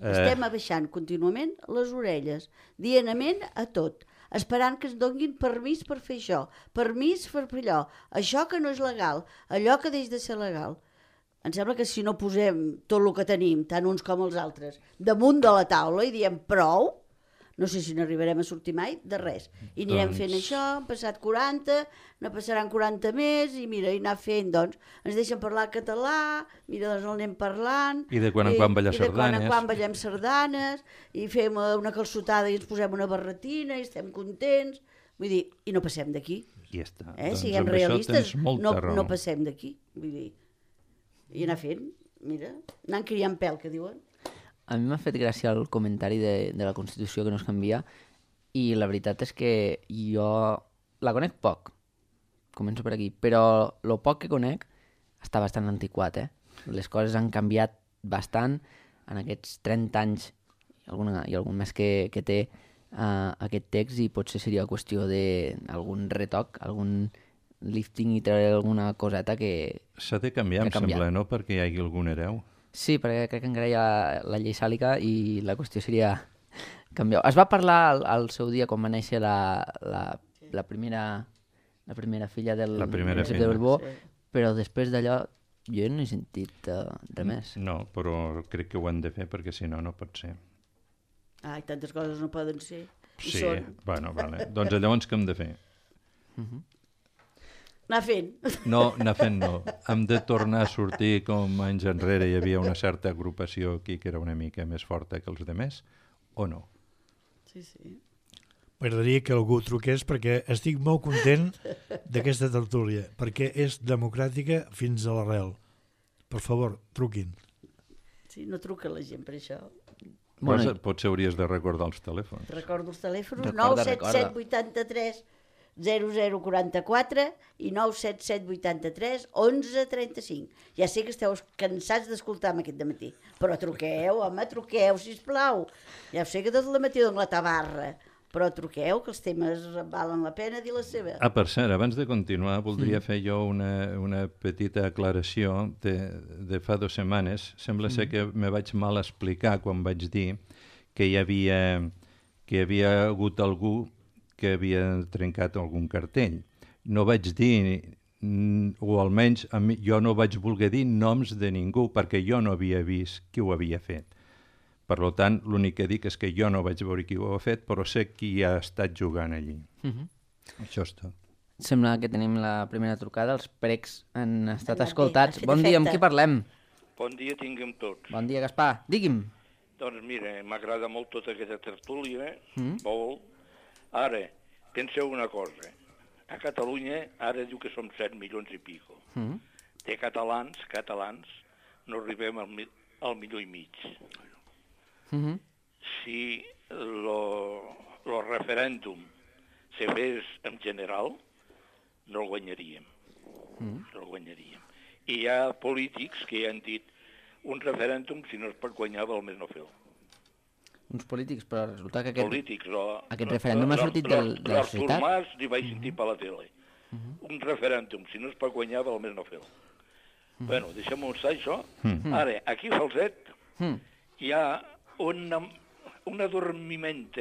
Estem abaixant contínuament les orelles, dianament a tot, esperant que ens donguin permís per fer això, permís per fer allò, això que no és legal, allò que deix de ser legal. Em sembla que si no posem tot el que tenim, tant uns com els altres, damunt de la taula i diem prou, no sé si n'arribarem a sortir mai de res. I anirem doncs... fent això, han passat quaranta, ne passaran quaranta més, i mira, i anar fent, doncs, ens deixen parlar català, mira, doncs el anem parlant... I de quan en quan ballar sardanes. I de quan en quan ballem sardanes, i fem una calçotada i ens posem una barretina, i estem contents, vull dir, i no passem d'aquí. I ja està. Eh? Doncs Siguem amb això realistes, tens molta no, raó. no passem d'aquí. Vull dir, i anar fent, mira, anant criant pèl, que diuen. A mi m'ha fet gràcia el comentari de, de la Constitució que no es canvia i la veritat és que jo la conec poc, començo per aquí, però el poc que conec està bastant antiquat, eh? Les coses han canviat bastant en aquests trenta anys i, alguna, i algun més que, que té uh, aquest text i potser seria qüestió d'algun retoc, algun lifting i treure alguna coseta que... S'ha de canviar, em sembla, no? Perquè hi hagi algun hereu. Sí, perquè crec que encara hi ha la llei sàlica i la qüestió seria canviar. Es va parlar al, al seu dia quan va néixer la, la, la, primera, la primera filla del La primera príncep de filla. Borbó, Sí. però després d'allò jo no he sentit uh, res més. No, però crec que ho han de fer perquè si no, no pot ser. Ai, tantes coses no poden ser. I Sí, són. bueno, vale. Doncs llavors què hem de fer? Anar fent. No, anar fent no. Hem de tornar a sortir com anys enrere hi havia una certa agrupació aquí que era una mica més forta que els demés, o no? Sí, sí. M'agradaria que algú truqués perquè estic molt content d'aquesta tertúlia, perquè és democràtica fins a l'arrel. Per favor, truquin. Sí, no truca la gent per això. Bueno, Bueno, potser hauries de recordar els telèfons. Recordo els telèfons, Recorda, nou set set recorda. vuitanta-tres zero zero quaranta-quatre i nou set set vuitanta-tres onze trenta-cinc. Ja sé que esteu cansats d'escoltar-me aquest dematí, però truqueu, home, truqueu, sisplau. Ja ho sé que tot el matí dono la tabarra, però truqueu, que els temes valen la pena dir la seva. Ah, per cert, abans de continuar, voldria mm. fer jo una, una petita aclaració de, de fa dues setmanes. Sembla mm. ser que me vaig mal explicar quan vaig dir que hi havia, que hi havia hagut algú que havia trencat algun cartell. No vaig dir, o almenys a mi, jo no vaig voler dir noms de ningú, perquè jo no havia vist qui ho havia fet. Per tant, l'únic que dic és que jo no vaig veure qui ho ha fet, però sé qui ha estat jugant allí. Uh -huh. Això és tot. Sembla que tenim la primera trucada, els precs han estat Anat bé, escoltats. ha fet Bon dia, amb efecte. qui parlem? Bon dia tinguem tots. Bon dia, Gaspar. Digui'm. Doncs mira, m'agrada molt tota aquesta tertúlia, Mm. molt. Ara, penseu una cosa. A Catalunya ara diu que som set milions i pico. Mm. De catalans, catalans, no arribem al, mi al milió i mig. Mm -hmm. Si lo, lo referèndum se fes en general, no el guanyaríem. Mm. No el guanyaríem. I hi ha polítics que han dit un referèndum, si no es pot guanyar, val més no fer-lo. Uns polítics, però resulta que aquest, Polítics, o, aquest referèndum ha sortit del, de la societat. societat. L'Artur Mas li vaig sentir per la tele. Uh -huh. Un referèndum, si no es pot guanyar, val més no fer-lo. Uh -huh. Bueno, deixem-ho estar, això. Uh -huh. Ara, aquí a Falset uh -huh. hi ha un, un adormiment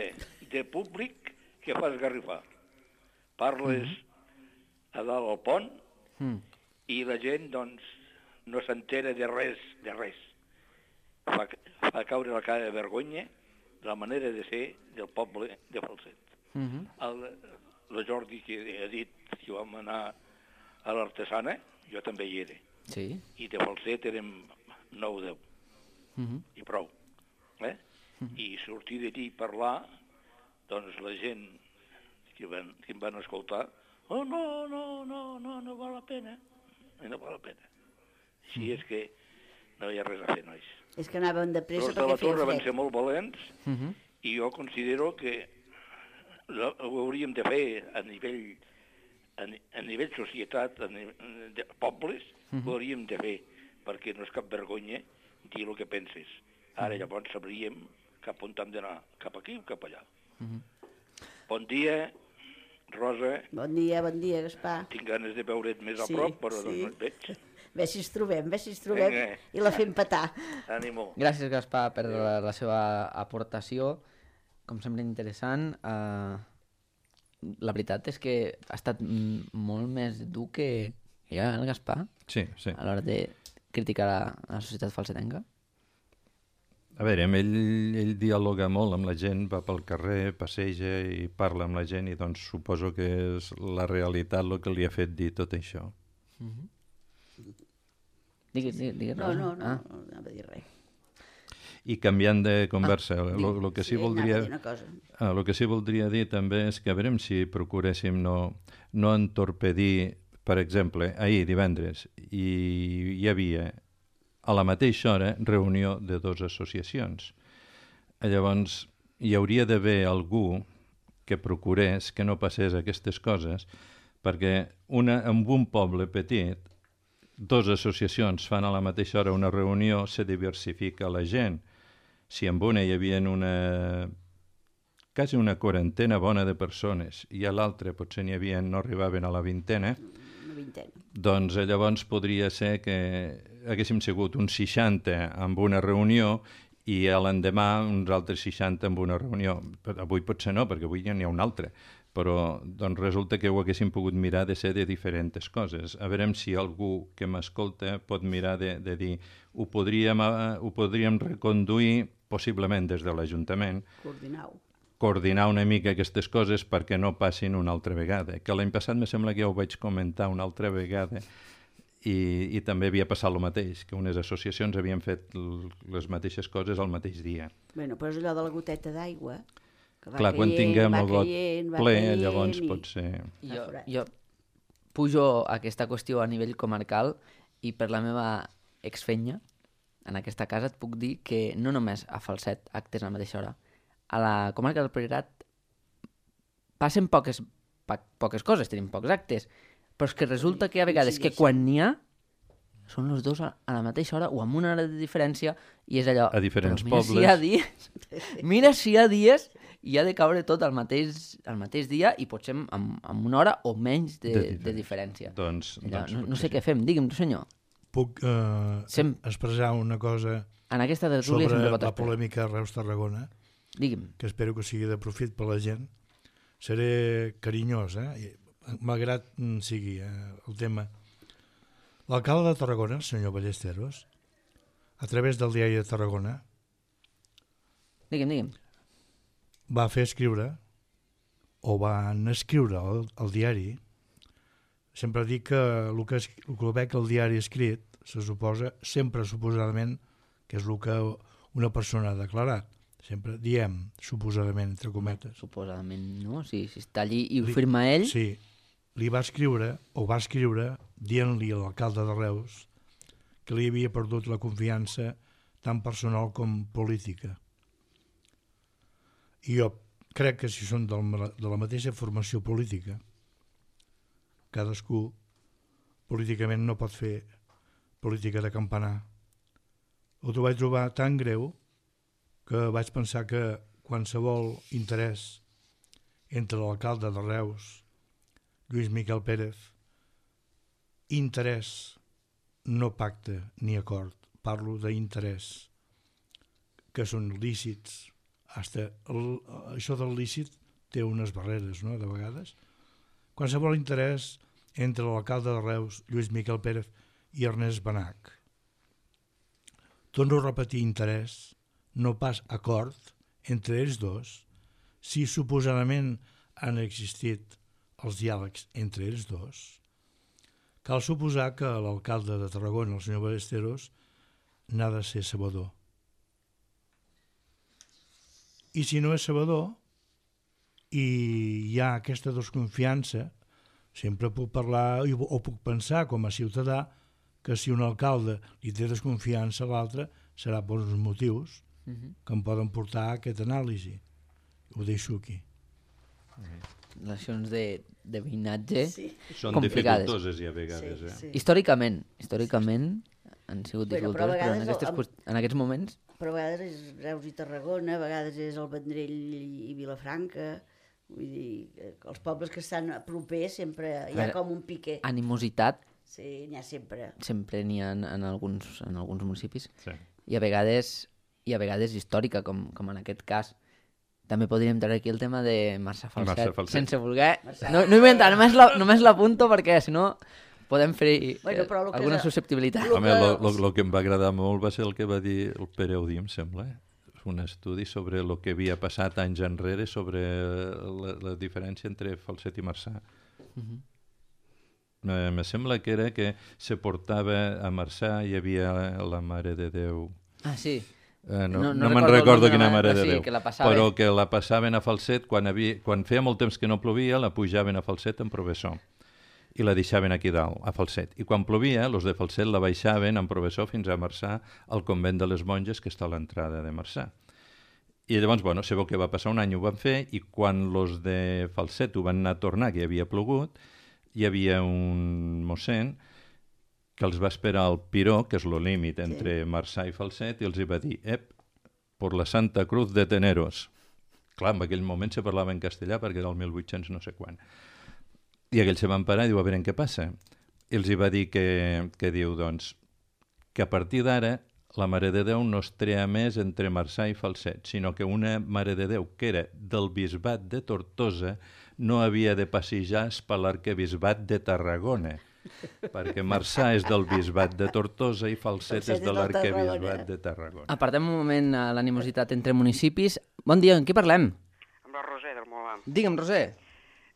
de públic que fa esgarrifar. Parles uh -huh. a dalt al pont uh -huh. i la gent, doncs, no s'entera de res, de res. Fa, fa caure la cara de vergonya la manera de ser del poble de Falset. Uh -huh. el, el Jordi que ha dit que vam anar a l'Artesana, jo també hi era. Sí. I de Falset érem nou o deu. Uh -huh. I prou. Eh? Uh -huh. I sortir d'allí i parlar, doncs la gent que, van, que em van escoltar, oh, no, no, no, no, no val la pena. No val la pena. Així uh -huh. és que no hi ha res a fer, nois. És que anaven de pressa Els de perquè la feia Torre van fred. ser molt valents Uh -huh. i jo considero que ho hauríem de fer a nivell, a, a nivell societat, a nivell de pobles, uh -huh. ho hauríem de fer, perquè no és cap vergonya dir el que penses. Ara llavors sabríem cap on hem d'anar, cap aquí o cap allà. Uh -huh. Bon dia, Rosa. Bon dia, bon dia, Gaspar. Tinc ganes de veure't més a Sí, prop, però sí. doncs no et veig. Ve si ens trobem, ve si ens trobem Vinga. i la fem petar. Ànimo. Gràcies, Gaspar, per la, la seva aportació. Com sempre, interessant. Uh, la veritat és que ha estat mm, molt més dur que jo, el Gaspar, Sí, sí. a l'hora de criticar la, la societat falsetenca. A veure, amb ell, ell dialoga molt amb la gent, va pel carrer, passeja i parla amb la gent i doncs suposo que és la realitat el que li ha fet dir tot això. Digues, digues, digues, No, Rosa. no, no, Ah. no anava a dir res. I canviant de conversa, el Dic, ah, que sí, sí, anava a voldria... dir una cosa. El que sí voldria dir també és que a veure si procuréssim no, no entorpedir, per exemple, ahir, divendres, hi, hi havia a la mateixa hora reunió de dues associacions. Llavors, hi hauria d'haver algú que procurés que no passés aquestes coses, perquè una, en un poble petit, dues associacions fan a la mateixa hora una reunió, se diversifica la gent. Si en una hi havia una, quasi una quarantena bona de persones i a l'altra potser n'hi havia, no arribaven a la vintena, Una vintena. doncs llavors podria ser que haguéssim sigut uns seixanta amb una reunió i a l'endemà uns altres seixanta amb una reunió. Però avui potser no, perquè avui ja n'hi ha una altra. Però doncs resulta que ho haguéssim pogut mirar de ser de diferents coses. A veure si algú que m'escolta pot mirar de, de dir ho podríem, uh, ho podríem reconduir possiblement des de l'Ajuntament, Coordinau. coordinar una mica aquestes coses perquè no passin una altra vegada. Que l'any passat me sembla que ja ho vaig comentar una altra vegada i, i també havia passat el mateix, que unes associacions havien fet les mateixes coses al mateix dia. Bueno, però és allò de la goteta d'aigua, que va Clar, quan caient, tinguem va el got caient, va ple, caient llavors i... pot ser... Jo, forat. jo pujo aquesta qüestió a nivell comarcal i per la meva exfenya en aquesta casa et puc dir que no només a Falset actes a la mateixa hora, a la comarca del Priorat passen poques, pa, poques coses, tenim pocs actes, però és que resulta que hi ha vegades que quan n'hi ha són els dos a, a la mateixa hora o amb una hora de diferència i és allò... A diferents però mira pobles. Si hi ha dies, mira si hi ha dies i ha de caure tot al mateix, al mateix dia i potser amb, amb una hora o menys de, De de, diferència. de diferència. Doncs, Allò, doncs no, no potser sé què fem, digui'm tu senyor. Puc eh, Sem- expressar una cosa En aquesta tertúlia sobre sempre pot la esperar. polèmica Reus-Tarragona, Digui'm. que espero que sigui de profit per la gent. Seré carinyós, eh? I, malgrat mm, sigui eh, el tema. L'alcalde de Tarragona, el senyor Ballesteros, a través del diari de Tarragona, Digui'm, digui'm. va fer escriure, o van escriure al, al diari, sempre dic que el que, es- el que veig al diari escrit se suposa, sempre suposadament, que és el que una persona ha declarat. Sempre diem, suposadament, entre cometes. Suposadament no, si, si està allí i ho Li- firma ell, Sí, li va escriure, o va escriure, dient-li a l'alcalde de Reus que li havia perdut la confiança tant personal com política. I jo crec que si són del, ma- de la mateixa formació política, cadascú políticament no pot fer política de campanar. Ho vaig trobar tan greu que vaig pensar que qualsevol interès entre l'alcalde de Reus, Lluís Miquel Pérez, interès, no pacte ni acord, parlo d'interès, que són lícits. Hasta el, això del lícit té unes barreres, no?, de vegades. Qualsevol interès entre l'alcalde de Reus, Lluís Miquel Pérez, i Ernest Benach. Torno a repetir interès, no pas acord, entre ells dos, si suposadament han existit els diàlegs entre ells dos. Cal suposar que l'alcalde de Tarragona, el senyor Ballesteros, n'ha de ser sabedor. I si no és sabedor i hi ha aquesta desconfiança, sempre puc parlar o puc pensar com a ciutadà que si un alcalde li té desconfiança a l'altre serà per uns motius uh -huh. que em poden portar a aquesta anàlisi. Ho deixo aquí. relacions de, de veïnatge, Sí. Són complicades. dificultoses ja a vegades, Sí, eh? sí. històricament, històricament han sigut Bueno, però a dificultoses, però, en, vegades aquestes, el- qüest- en aquests moments Però a vegades és Reus i Tarragona, a vegades és el Vendrell i Vilafranca, vull dir, que els pobles que estan propers sempre hi ha veure, com un pique. animositat Sí, n'hi ha sempre. sempre n'hi ha en, en, alguns, en alguns municipis Sí. i a vegades i a vegades històrica, com, com en aquest cas. També podríem treure aquí el tema de Marçà Falset, Marçà Falset. sense voler... No, no hi entrar, només la- només l'apunto perquè si no podem fer Bueno, eh, però lo que alguna és- susceptibilitat. lo- Home, que- el que em va agradar molt va ser el que va dir el Pere Audí, em sembla. eh? Un estudi sobre el que havia passat anys enrere sobre la, la diferència entre Falset i Marçà. Mhm. Me, me sembla que era que se portava a Marçà, hi havia la Mare de Déu. Ah, sí. Eh, no No- no, no me'n recordo el recordo nom de quina la- mare de sí, Déu, que la passaven. però que la passaven a falset quan, havia, quan feia molt temps que no plovia, la pujaven a falset en Provessó i la deixaven aquí dalt, a falset. I quan plovia, els de falset la baixaven en Provessó fins a Marçà, al convent de les monges, que està a l'entrada de Marçà. I llavors, bueno, sabeu què va passar? Un any ho van fer i quan los de falset ho van anar a tornar, que hi havia plogut, hi havia un mossèn que els va esperar al Piró, que és el límit entre Marçà i Falset, i els hi va dir, ep, por la Santa Cruz de Teneros. Clar, en aquell moment se parlava en castellà perquè era el mil vuit-cents no sé quan. I aquells se van parar i diu, a veure, què passa? I els hi va dir que, que diu, doncs, que a partir d'ara la Mare de Déu no es trea més entre Marçà i Falset, sinó que una Mare de Déu que era del bisbat de Tortosa no havia de passejar per l'arquebisbat de Tarragona, perquè Marçà és del bisbat de Tortosa i Falset és de l'arquebisbat de Tarragona. Apartem un moment a l'animositat entre municipis. Bon dia, en qui parlem? Amb la Roser del Molar. Digue'm, Roser.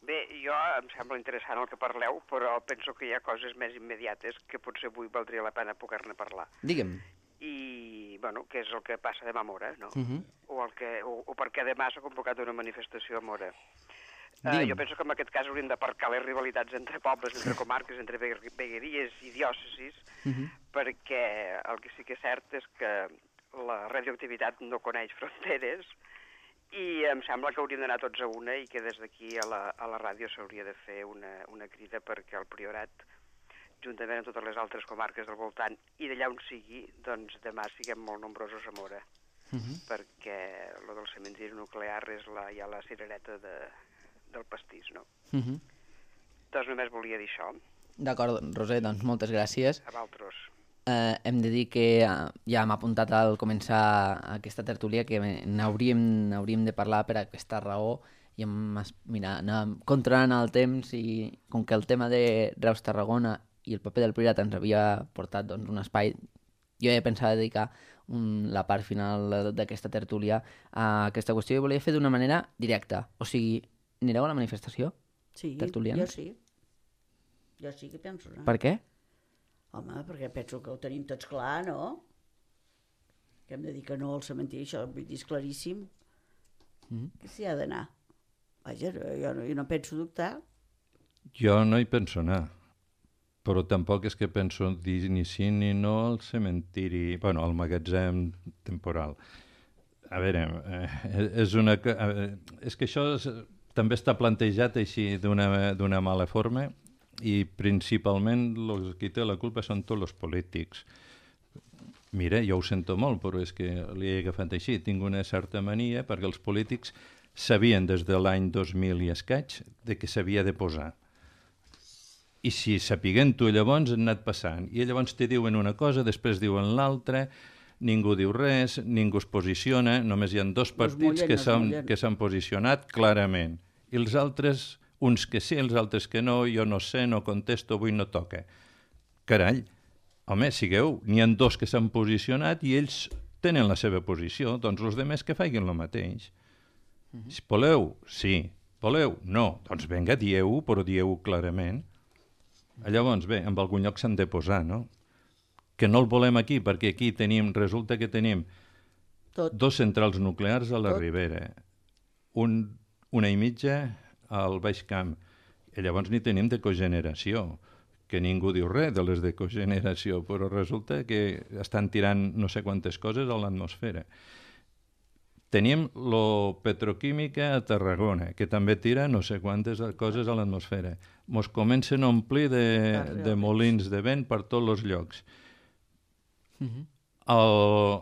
Bé, jo em sembla interessant el que parleu, però penso que hi ha coses més immediates que potser avui valdria la pena poder-ne parlar. Digue'm. I, bueno, què és el que passa demà a Mora, no? Uh -huh. o, el que, o, o per què demà s'ha convocat una manifestació a Mora. Uh, Digue'm. jo penso que en aquest cas hauríem d'aparcar les rivalitats entre pobles, entre comarques, entre vegueries i diòcesis, Uh -huh. perquè el que sí que és cert és que la radioactivitat no coneix fronteres i em sembla que hauríem d'anar tots a una i que des d'aquí a, la, a la ràdio s'hauria de fer una, una crida perquè el Priorat, juntament amb totes les altres comarques del voltant i d'allà on sigui, doncs demà siguem molt nombrosos a Mora, Uh -huh. perquè lo del cementiri nuclear és la, ja la cirereta de, del pastís, no? Uh -huh. Doncs només volia dir això, D'acord, Roser, doncs moltes gràcies. a vosaltres. Eh, hem de dir que eh, ja hem apuntat al començar aquesta tertúlia que n'hauríem n'hauríem de parlar per aquesta raó i hem, es- mira, anàvem controlant el temps i com que el tema de Reus-Tarragona i el paper del Priorat ens havia portat doncs, un espai, jo he pensat dedicar un, la part final d'aquesta tertúlia a aquesta qüestió i volia fer d'una manera directa. O sigui, anireu a la manifestació? Sí, Tertulians? jo sí. Jo sí que penso anar. Per què? Home, perquè penso que ho tenim tots clar, no? Que hem de dir que no al cementiri, això vull dir, és claríssim. Mm. Que s'hi ha d'anar. Vaja, jo no, jo no penso dubtar. Jo no hi penso anar, però tampoc és que penso dir ni sí ni no al cementiri, bueno, al magatzem temporal. A veure, eh, és una... Eh, és que això és, també està plantejat així d'una d'una mala forma i principalment els qui té la culpa són tots els polítics. Mira, jo ho sento molt, però és que li he agafat així. Tinc una certa mania perquè els polítics sabien des de l'any dos mil i escaig de què s'havia de posar. I si sapiguent-ho llavors han anat passant. I llavors te diuen una cosa, després diuen l'altra, ningú diu res, ningú es posiciona, només hi ha dos partits mullen, que no es s'han mullen. que s'han posicionat clarament. I els altres, uns que sí, els altres que no, jo no sé, no contesto, avui no toca. Carall, home, sigueu, n'hi ha dos que s'han posicionat i ells tenen la seva posició, doncs els demés que facin el mateix. Uh-huh. Si voleu, sí. Voleu, no. Doncs vinga, dieu-ho, però dieu-ho clarament. Llavors, bé, en algun lloc s'han de posar, no? Que no el volem aquí, perquè aquí tenim, resulta que tenim Tot. dos centrals nuclears a la Tot. Ribera, un, una i mitja al Baix Camp, i llavors ni tenim de cogeneració, que ningú diu res de les de cogeneració, però resulta que estan tirant no sé quantes coses a l'atmosfera. Tenim la petroquímica a Tarragona, que també tira no sé quantes coses a l'atmosfera. Mos comencen a omplir de, de molins de vent per tots els llocs. Uh-huh. Al,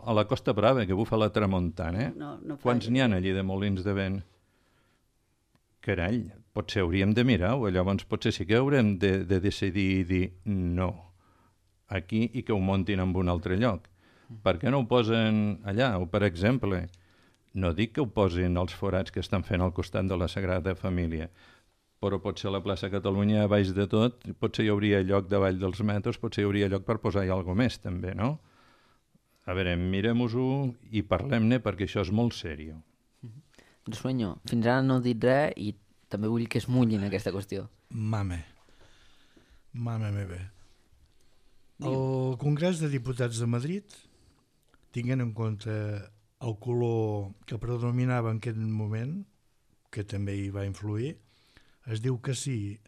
a la Costa Brava, que bufa la tramuntana, eh? No, no Quants falla. n'hi ha allí de molins de vent? Carall, potser hauríem de mirar-ho, llavors potser sí que haurem de, de decidir i dir no aquí i que ho muntin en un altre lloc. Per què no ho posen allà? O, per exemple, no dic que ho posin als forats que estan fent al costat de la Sagrada Família, però potser a la plaça Catalunya, a baix de tot, potser hi hauria lloc davall dels metros, potser hi hauria lloc per posar-hi alguna més, també, no? A veure, mirem-ho i parlem-ne, perquè això és molt seriós. Sueño, fins ara no he dit res i també vull que es mullin aquesta qüestió. Mame. Mame meva. El Congrés de Diputats de Madrid tinguent en compte el color que predominava en aquest moment, que també hi va influir, es diu que sí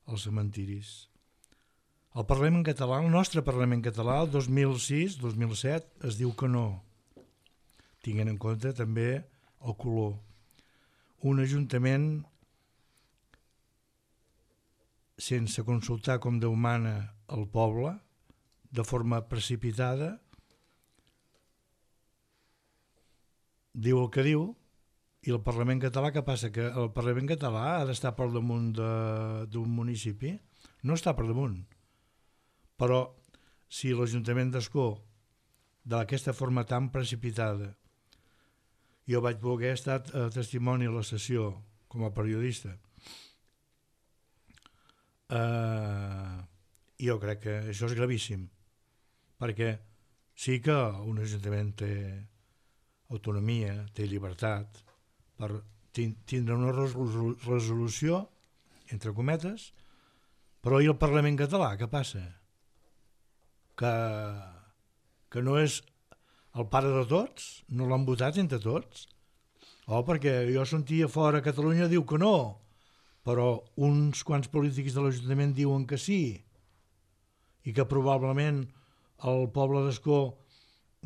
als cementiris. El Parlament català, el nostre Parlament català, el dos mil sis dos mil set, es diu que no, tinguent en compte també el color. Un ajuntament sense consultar com Déu mana el poble, de forma precipitada, diu el que diu, i el Parlament català, què passa? Que el Parlament català ha d'estar per damunt d'un municipi? No està per damunt. Però si l'Ajuntament d'Ascó, d'aquesta forma tan precipitada, jo vaig voler estar a testimoni a la sessió com a periodista, eh, jo crec que això és gravíssim, perquè sí que un ajuntament té autonomia, té llibertat per tindre una resolució, entre cometes, però i el Parlament català, què passa? Que, que no és el pare de tots? No l'han votat entre tots? Oh, perquè jo sentia fora a Catalunya diu que no, però uns quants polítics de l'Ajuntament diuen que sí, i que probablement el poble d'Ascó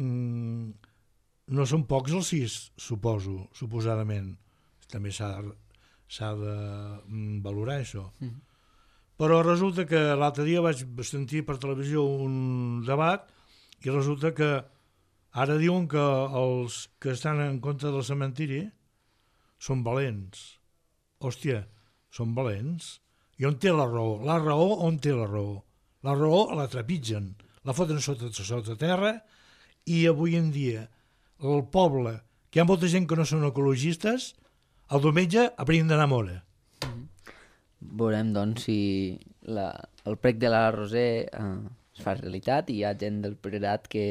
mmm, no són pocs els sis, suposo, suposadament. També s'ha de valorar això. Mm. Però resulta que l'altre dia vaig sentir per televisió un debat i resulta que ara diuen que els que estan en contra del cementiri són valents. Hòstia, són valents. I on té la raó? La raó on té la raó? La raó la trepitgen, la foten sota, sota terra i avui en dia el poble, que hi ha molta gent que no són ecologistes, el diumenge haurien d'anar a Mora. Mm-hmm. Veurem, doncs, si la, el prec de la Roser eh, es fa realitat i hi ha gent del Priorat que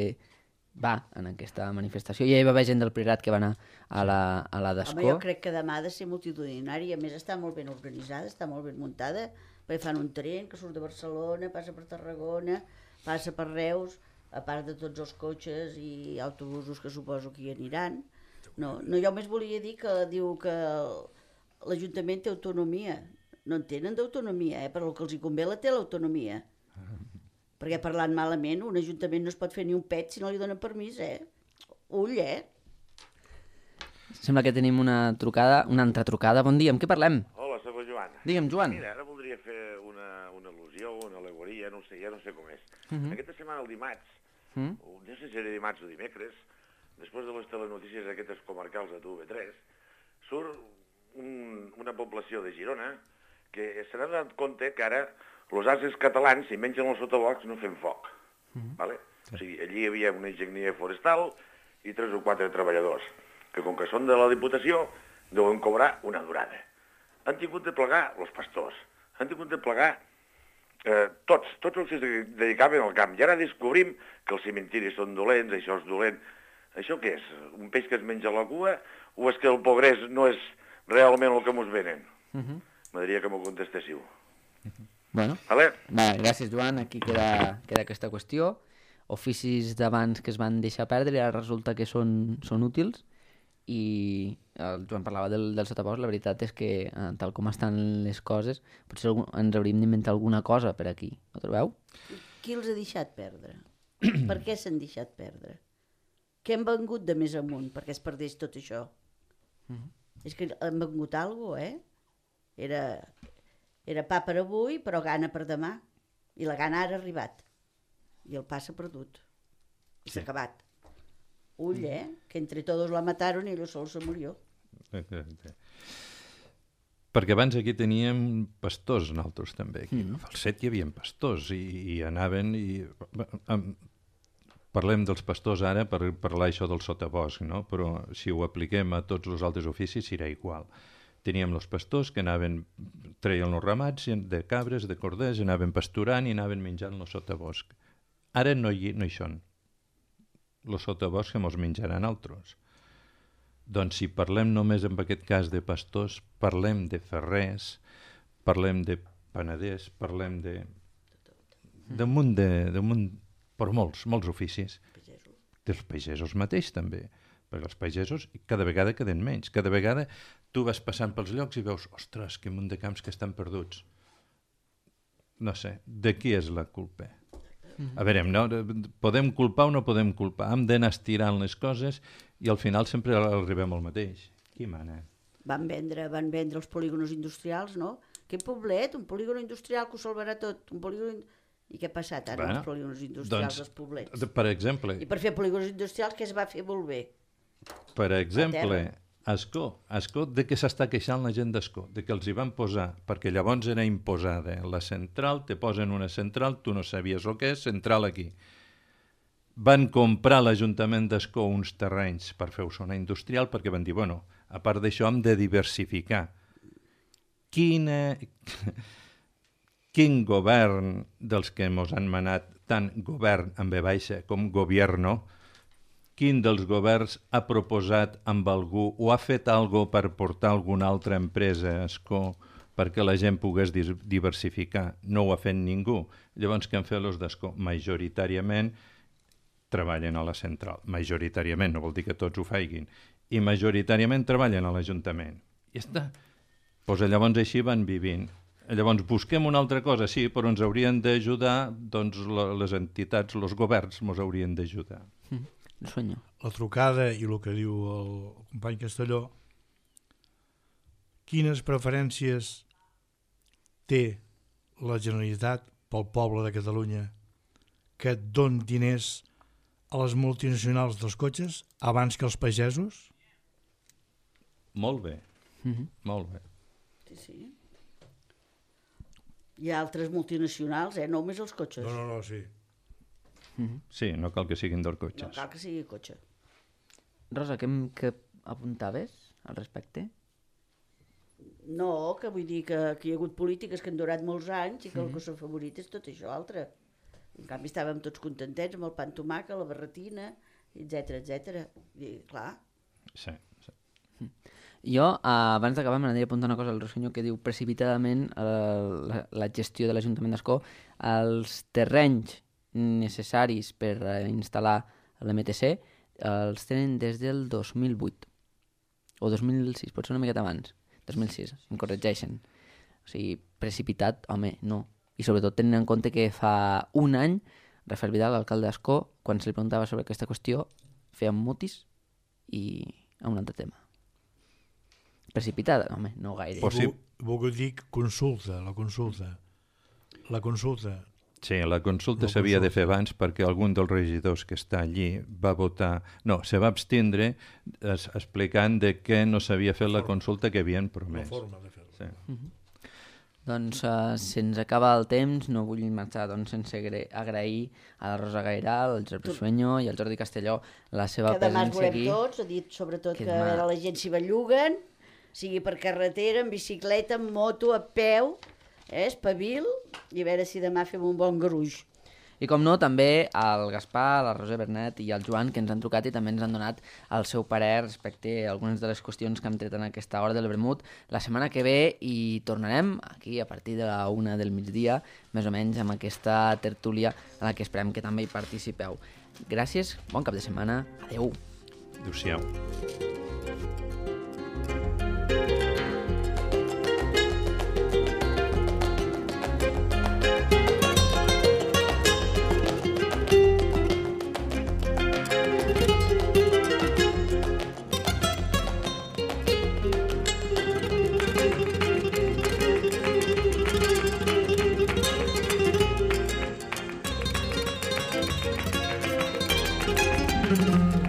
va en aquesta manifestació. Ja hi va haver gent del Priorat que va anar a la, a la d'Ascó. Home, jo crec que demà ha de ser multitudinari, a més està molt ben organitzada, està molt ben muntada, perquè fan un tren que surt de Barcelona, passa per Tarragona, passa per Reus, a part de tots els cotxes i autobusos que suposo que hi aniran. No, no, jo més volia dir que diu que l'Ajuntament té autonomia. No en tenen d'autonomia, eh? Però el que els hi convé la té l'autonomia. Perquè parlant malament, un ajuntament no es pot fer ni un pet si no li donen permís, eh? Ull, eh? Sembla que tenim una trucada, una altra trucada. Bon dia, amb què parlem? Hola, soc el Joan. Digue'm, Joan. Mira, ara voldria fer una, una al·lusió, una alegoria, no sé, ja no sé com és. Uh -huh. Aquesta setmana, el dimarts, uh -huh. no sé si era dimarts o dimecres, després de les telenotícies aquestes comarcals de T V tres, surt un, una població de Girona que se n'ha donat compte que ara els ases catalans, si mengen els sotaboscs, no fem foc. Uh-huh. Vale? Sí. O sigui, allí hi havia una enginyeria forestal i tres o quatre treballadors, que com que són de la Diputació, deuen cobrar una durada. Han tingut de plegar els pastors, han tingut de plegar eh, tots, tots els que es dedicaven al camp. I ara descobrim que els cementiris són dolents, això és dolent. Això què és? Un peix que es menja la cua o és que el progrés no és realment el que mos venen? Uh-huh. M'agradaria que m'ho contestéssiu. Uh-huh. Bueno, vale. Va, gràcies, Joan. Aquí queda, queda aquesta qüestió. Oficis d'abans que es van deixar perdre i ara resulta que són, són útils. I el Joan parlava del, del sotabosc. La veritat és que, eh, tal com estan les coses, potser algun, ens hauríem d'inventar alguna cosa per aquí. Ho trobeu? Qui els ha deixat perdre? Per què s'han deixat perdre? Què han vengut de més amunt perquè es perdés tot això? Uh-huh. És que han vengut alguna cosa, eh? Era, era pa per avui, però gana per demà. I la gana ara ha arribat. I el pa s'ha perdut. I s'ha sí. acabat. Ull, eh? Que entre todos la mataron i ell sol se murió. Perquè abans aquí teníem pastors, nosaltres també. Aquí. Mm. Al set hi havia pastors i, i anaven i... Parlem dels pastors ara per parlar això del sotabosc, no? Però si ho apliquem a tots els altres oficis serà igual. Teníem els pastors que anaven, treien els ramats de cabres, de corders, anaven pasturant i anaven menjant el sotabosc. Ara no hi, no hi són. Els sotaboscs que mos menjaran altres. Doncs si parlem només en aquest cas de pastors, parlem de ferrers, parlem de panaders, parlem de... d'un munt de... d'un munt, per molts, molts oficis dels pagesos mateix també, perquè els pagesos cada vegada queden menys, cada vegada tu vas passant pels llocs i veus, ostres, que munt de camps que estan perduts. No sé, de qui és la culpa? Mm-hmm. A veure, no, podem culpar o no podem culpar, hem d'anar estirant les coses i al final sempre arribem al mateix. Qui mana? Van vendre, van vendre els polígonos industrials, no? Quin poblet, un polígon industrial que ho salvarà tot, un polígon... I què ha passat ara bueno, els polígons industrials doncs, dels poblets? Per exemple... I per fer polígons industrials què es va fer molt bé? Per exemple, Ascó. Ascó, de què s'està queixant la gent d'Ascó? De que els hi van posar, perquè llavors era imposada la central, te posen una central, tu no sabies el que és, central aquí. Van comprar l'Ajuntament d'Ascó uns terrenys per fer zona industrial perquè van dir, bueno, a part d'això hem de diversificar. Quina... Quin govern dels que ens han manat, tant govern amb B baixa com gobierno, quin dels governs ha proposat amb algú o ha fet alguna cosa per portar alguna altra empresa a Ascó perquè la gent pogués diversificar? No ho ha fet ningú. Llavors, què han fet els d'Ascó? Majoritàriament treballen a la central. Majoritàriament, no vol dir que tots ho faiguin. I majoritàriament treballen a l'Ajuntament. I està. Pues llavors així van vivint. Llavors busquem una altra cosa, sí, però ens haurien d'ajudar, doncs les entitats, els governs ens haurien d'ajudar. Mm, la trucada i el que diu el company Castelló, quines preferències té la Generalitat pel poble de Catalunya que don diners a les multinacionals dels cotxes abans que els pagesos? Molt bé, mm-hmm. molt bé. Sí, sí. Hi ha altres multinacionals, eh? No només els cotxes. No, no, no, sí. Mm-hmm. Sí, no cal que siguin dels cotxes. No cal que sigui cotxe. Rosa, què, què apuntaves al respecte? No, que vull dir que, que hi ha hagut polítiques que han durat molts anys i que mm-hmm. el que s'ha favorit és tot això altre. En canvi estàvem tots contentets amb el pa amb tomàquet, la barretina, etcètera, etcètera. I clar... Sí, sí. Mm. Jo, abans d'acabar, m'agradaria apuntar una cosa al Rosselló que diu precipitadament la, la gestió de l'Ajuntament d'Ascó. Els terrenys necessaris per instal·lar l'M T C els tenen des del dos mil vuit o dos mil sis, potser una miqueta abans. dos mil sis, em corregeixen. O sigui, precipitat, home, no. I sobretot tenint en compte que fa un any Rafael Vidal, l'alcalde d'Ascó, quan se li preguntava sobre aquesta qüestió, feia mutis i a un altre tema. Precipitada? Home, no gaire. Sí. Vull dir consulta, la consulta. La consulta. Sí, la consulta s'havia de fer abans perquè algun dels regidors que està allí va votar... No, se va abstindre es, explicant de què no s'havia fet la consulta que havien promès. La forma de fer-ho. Sí. Mm-hmm. Doncs uh, se'ns acaba el temps, no vull marxar doncs, sense agrair a la Rosa Gairal, al Josep Sueño i al Jordi Castelló la seva presència aquí. Que demà es volem tots, ha dit sobretot que, que demà... la gent s'hi belluguen, sigui per carretera, en bicicleta, en moto, a peu, eh, espavil, i a veure si demà fem un bon garuix. I com no, també al Gaspar, la Roser Bernet i al Joan, que ens han trucat i també ens han donat el seu parer respecte a algunes de les qüestions que hem tret en aquesta hora del vermut. La setmana que ve hi tornarem, aquí a partir de la una del migdia, més o menys amb aquesta tertúlia en la que esperem que també hi participeu. Gràcies, bon cap de setmana, adeu. Adéu-siau. Thank you.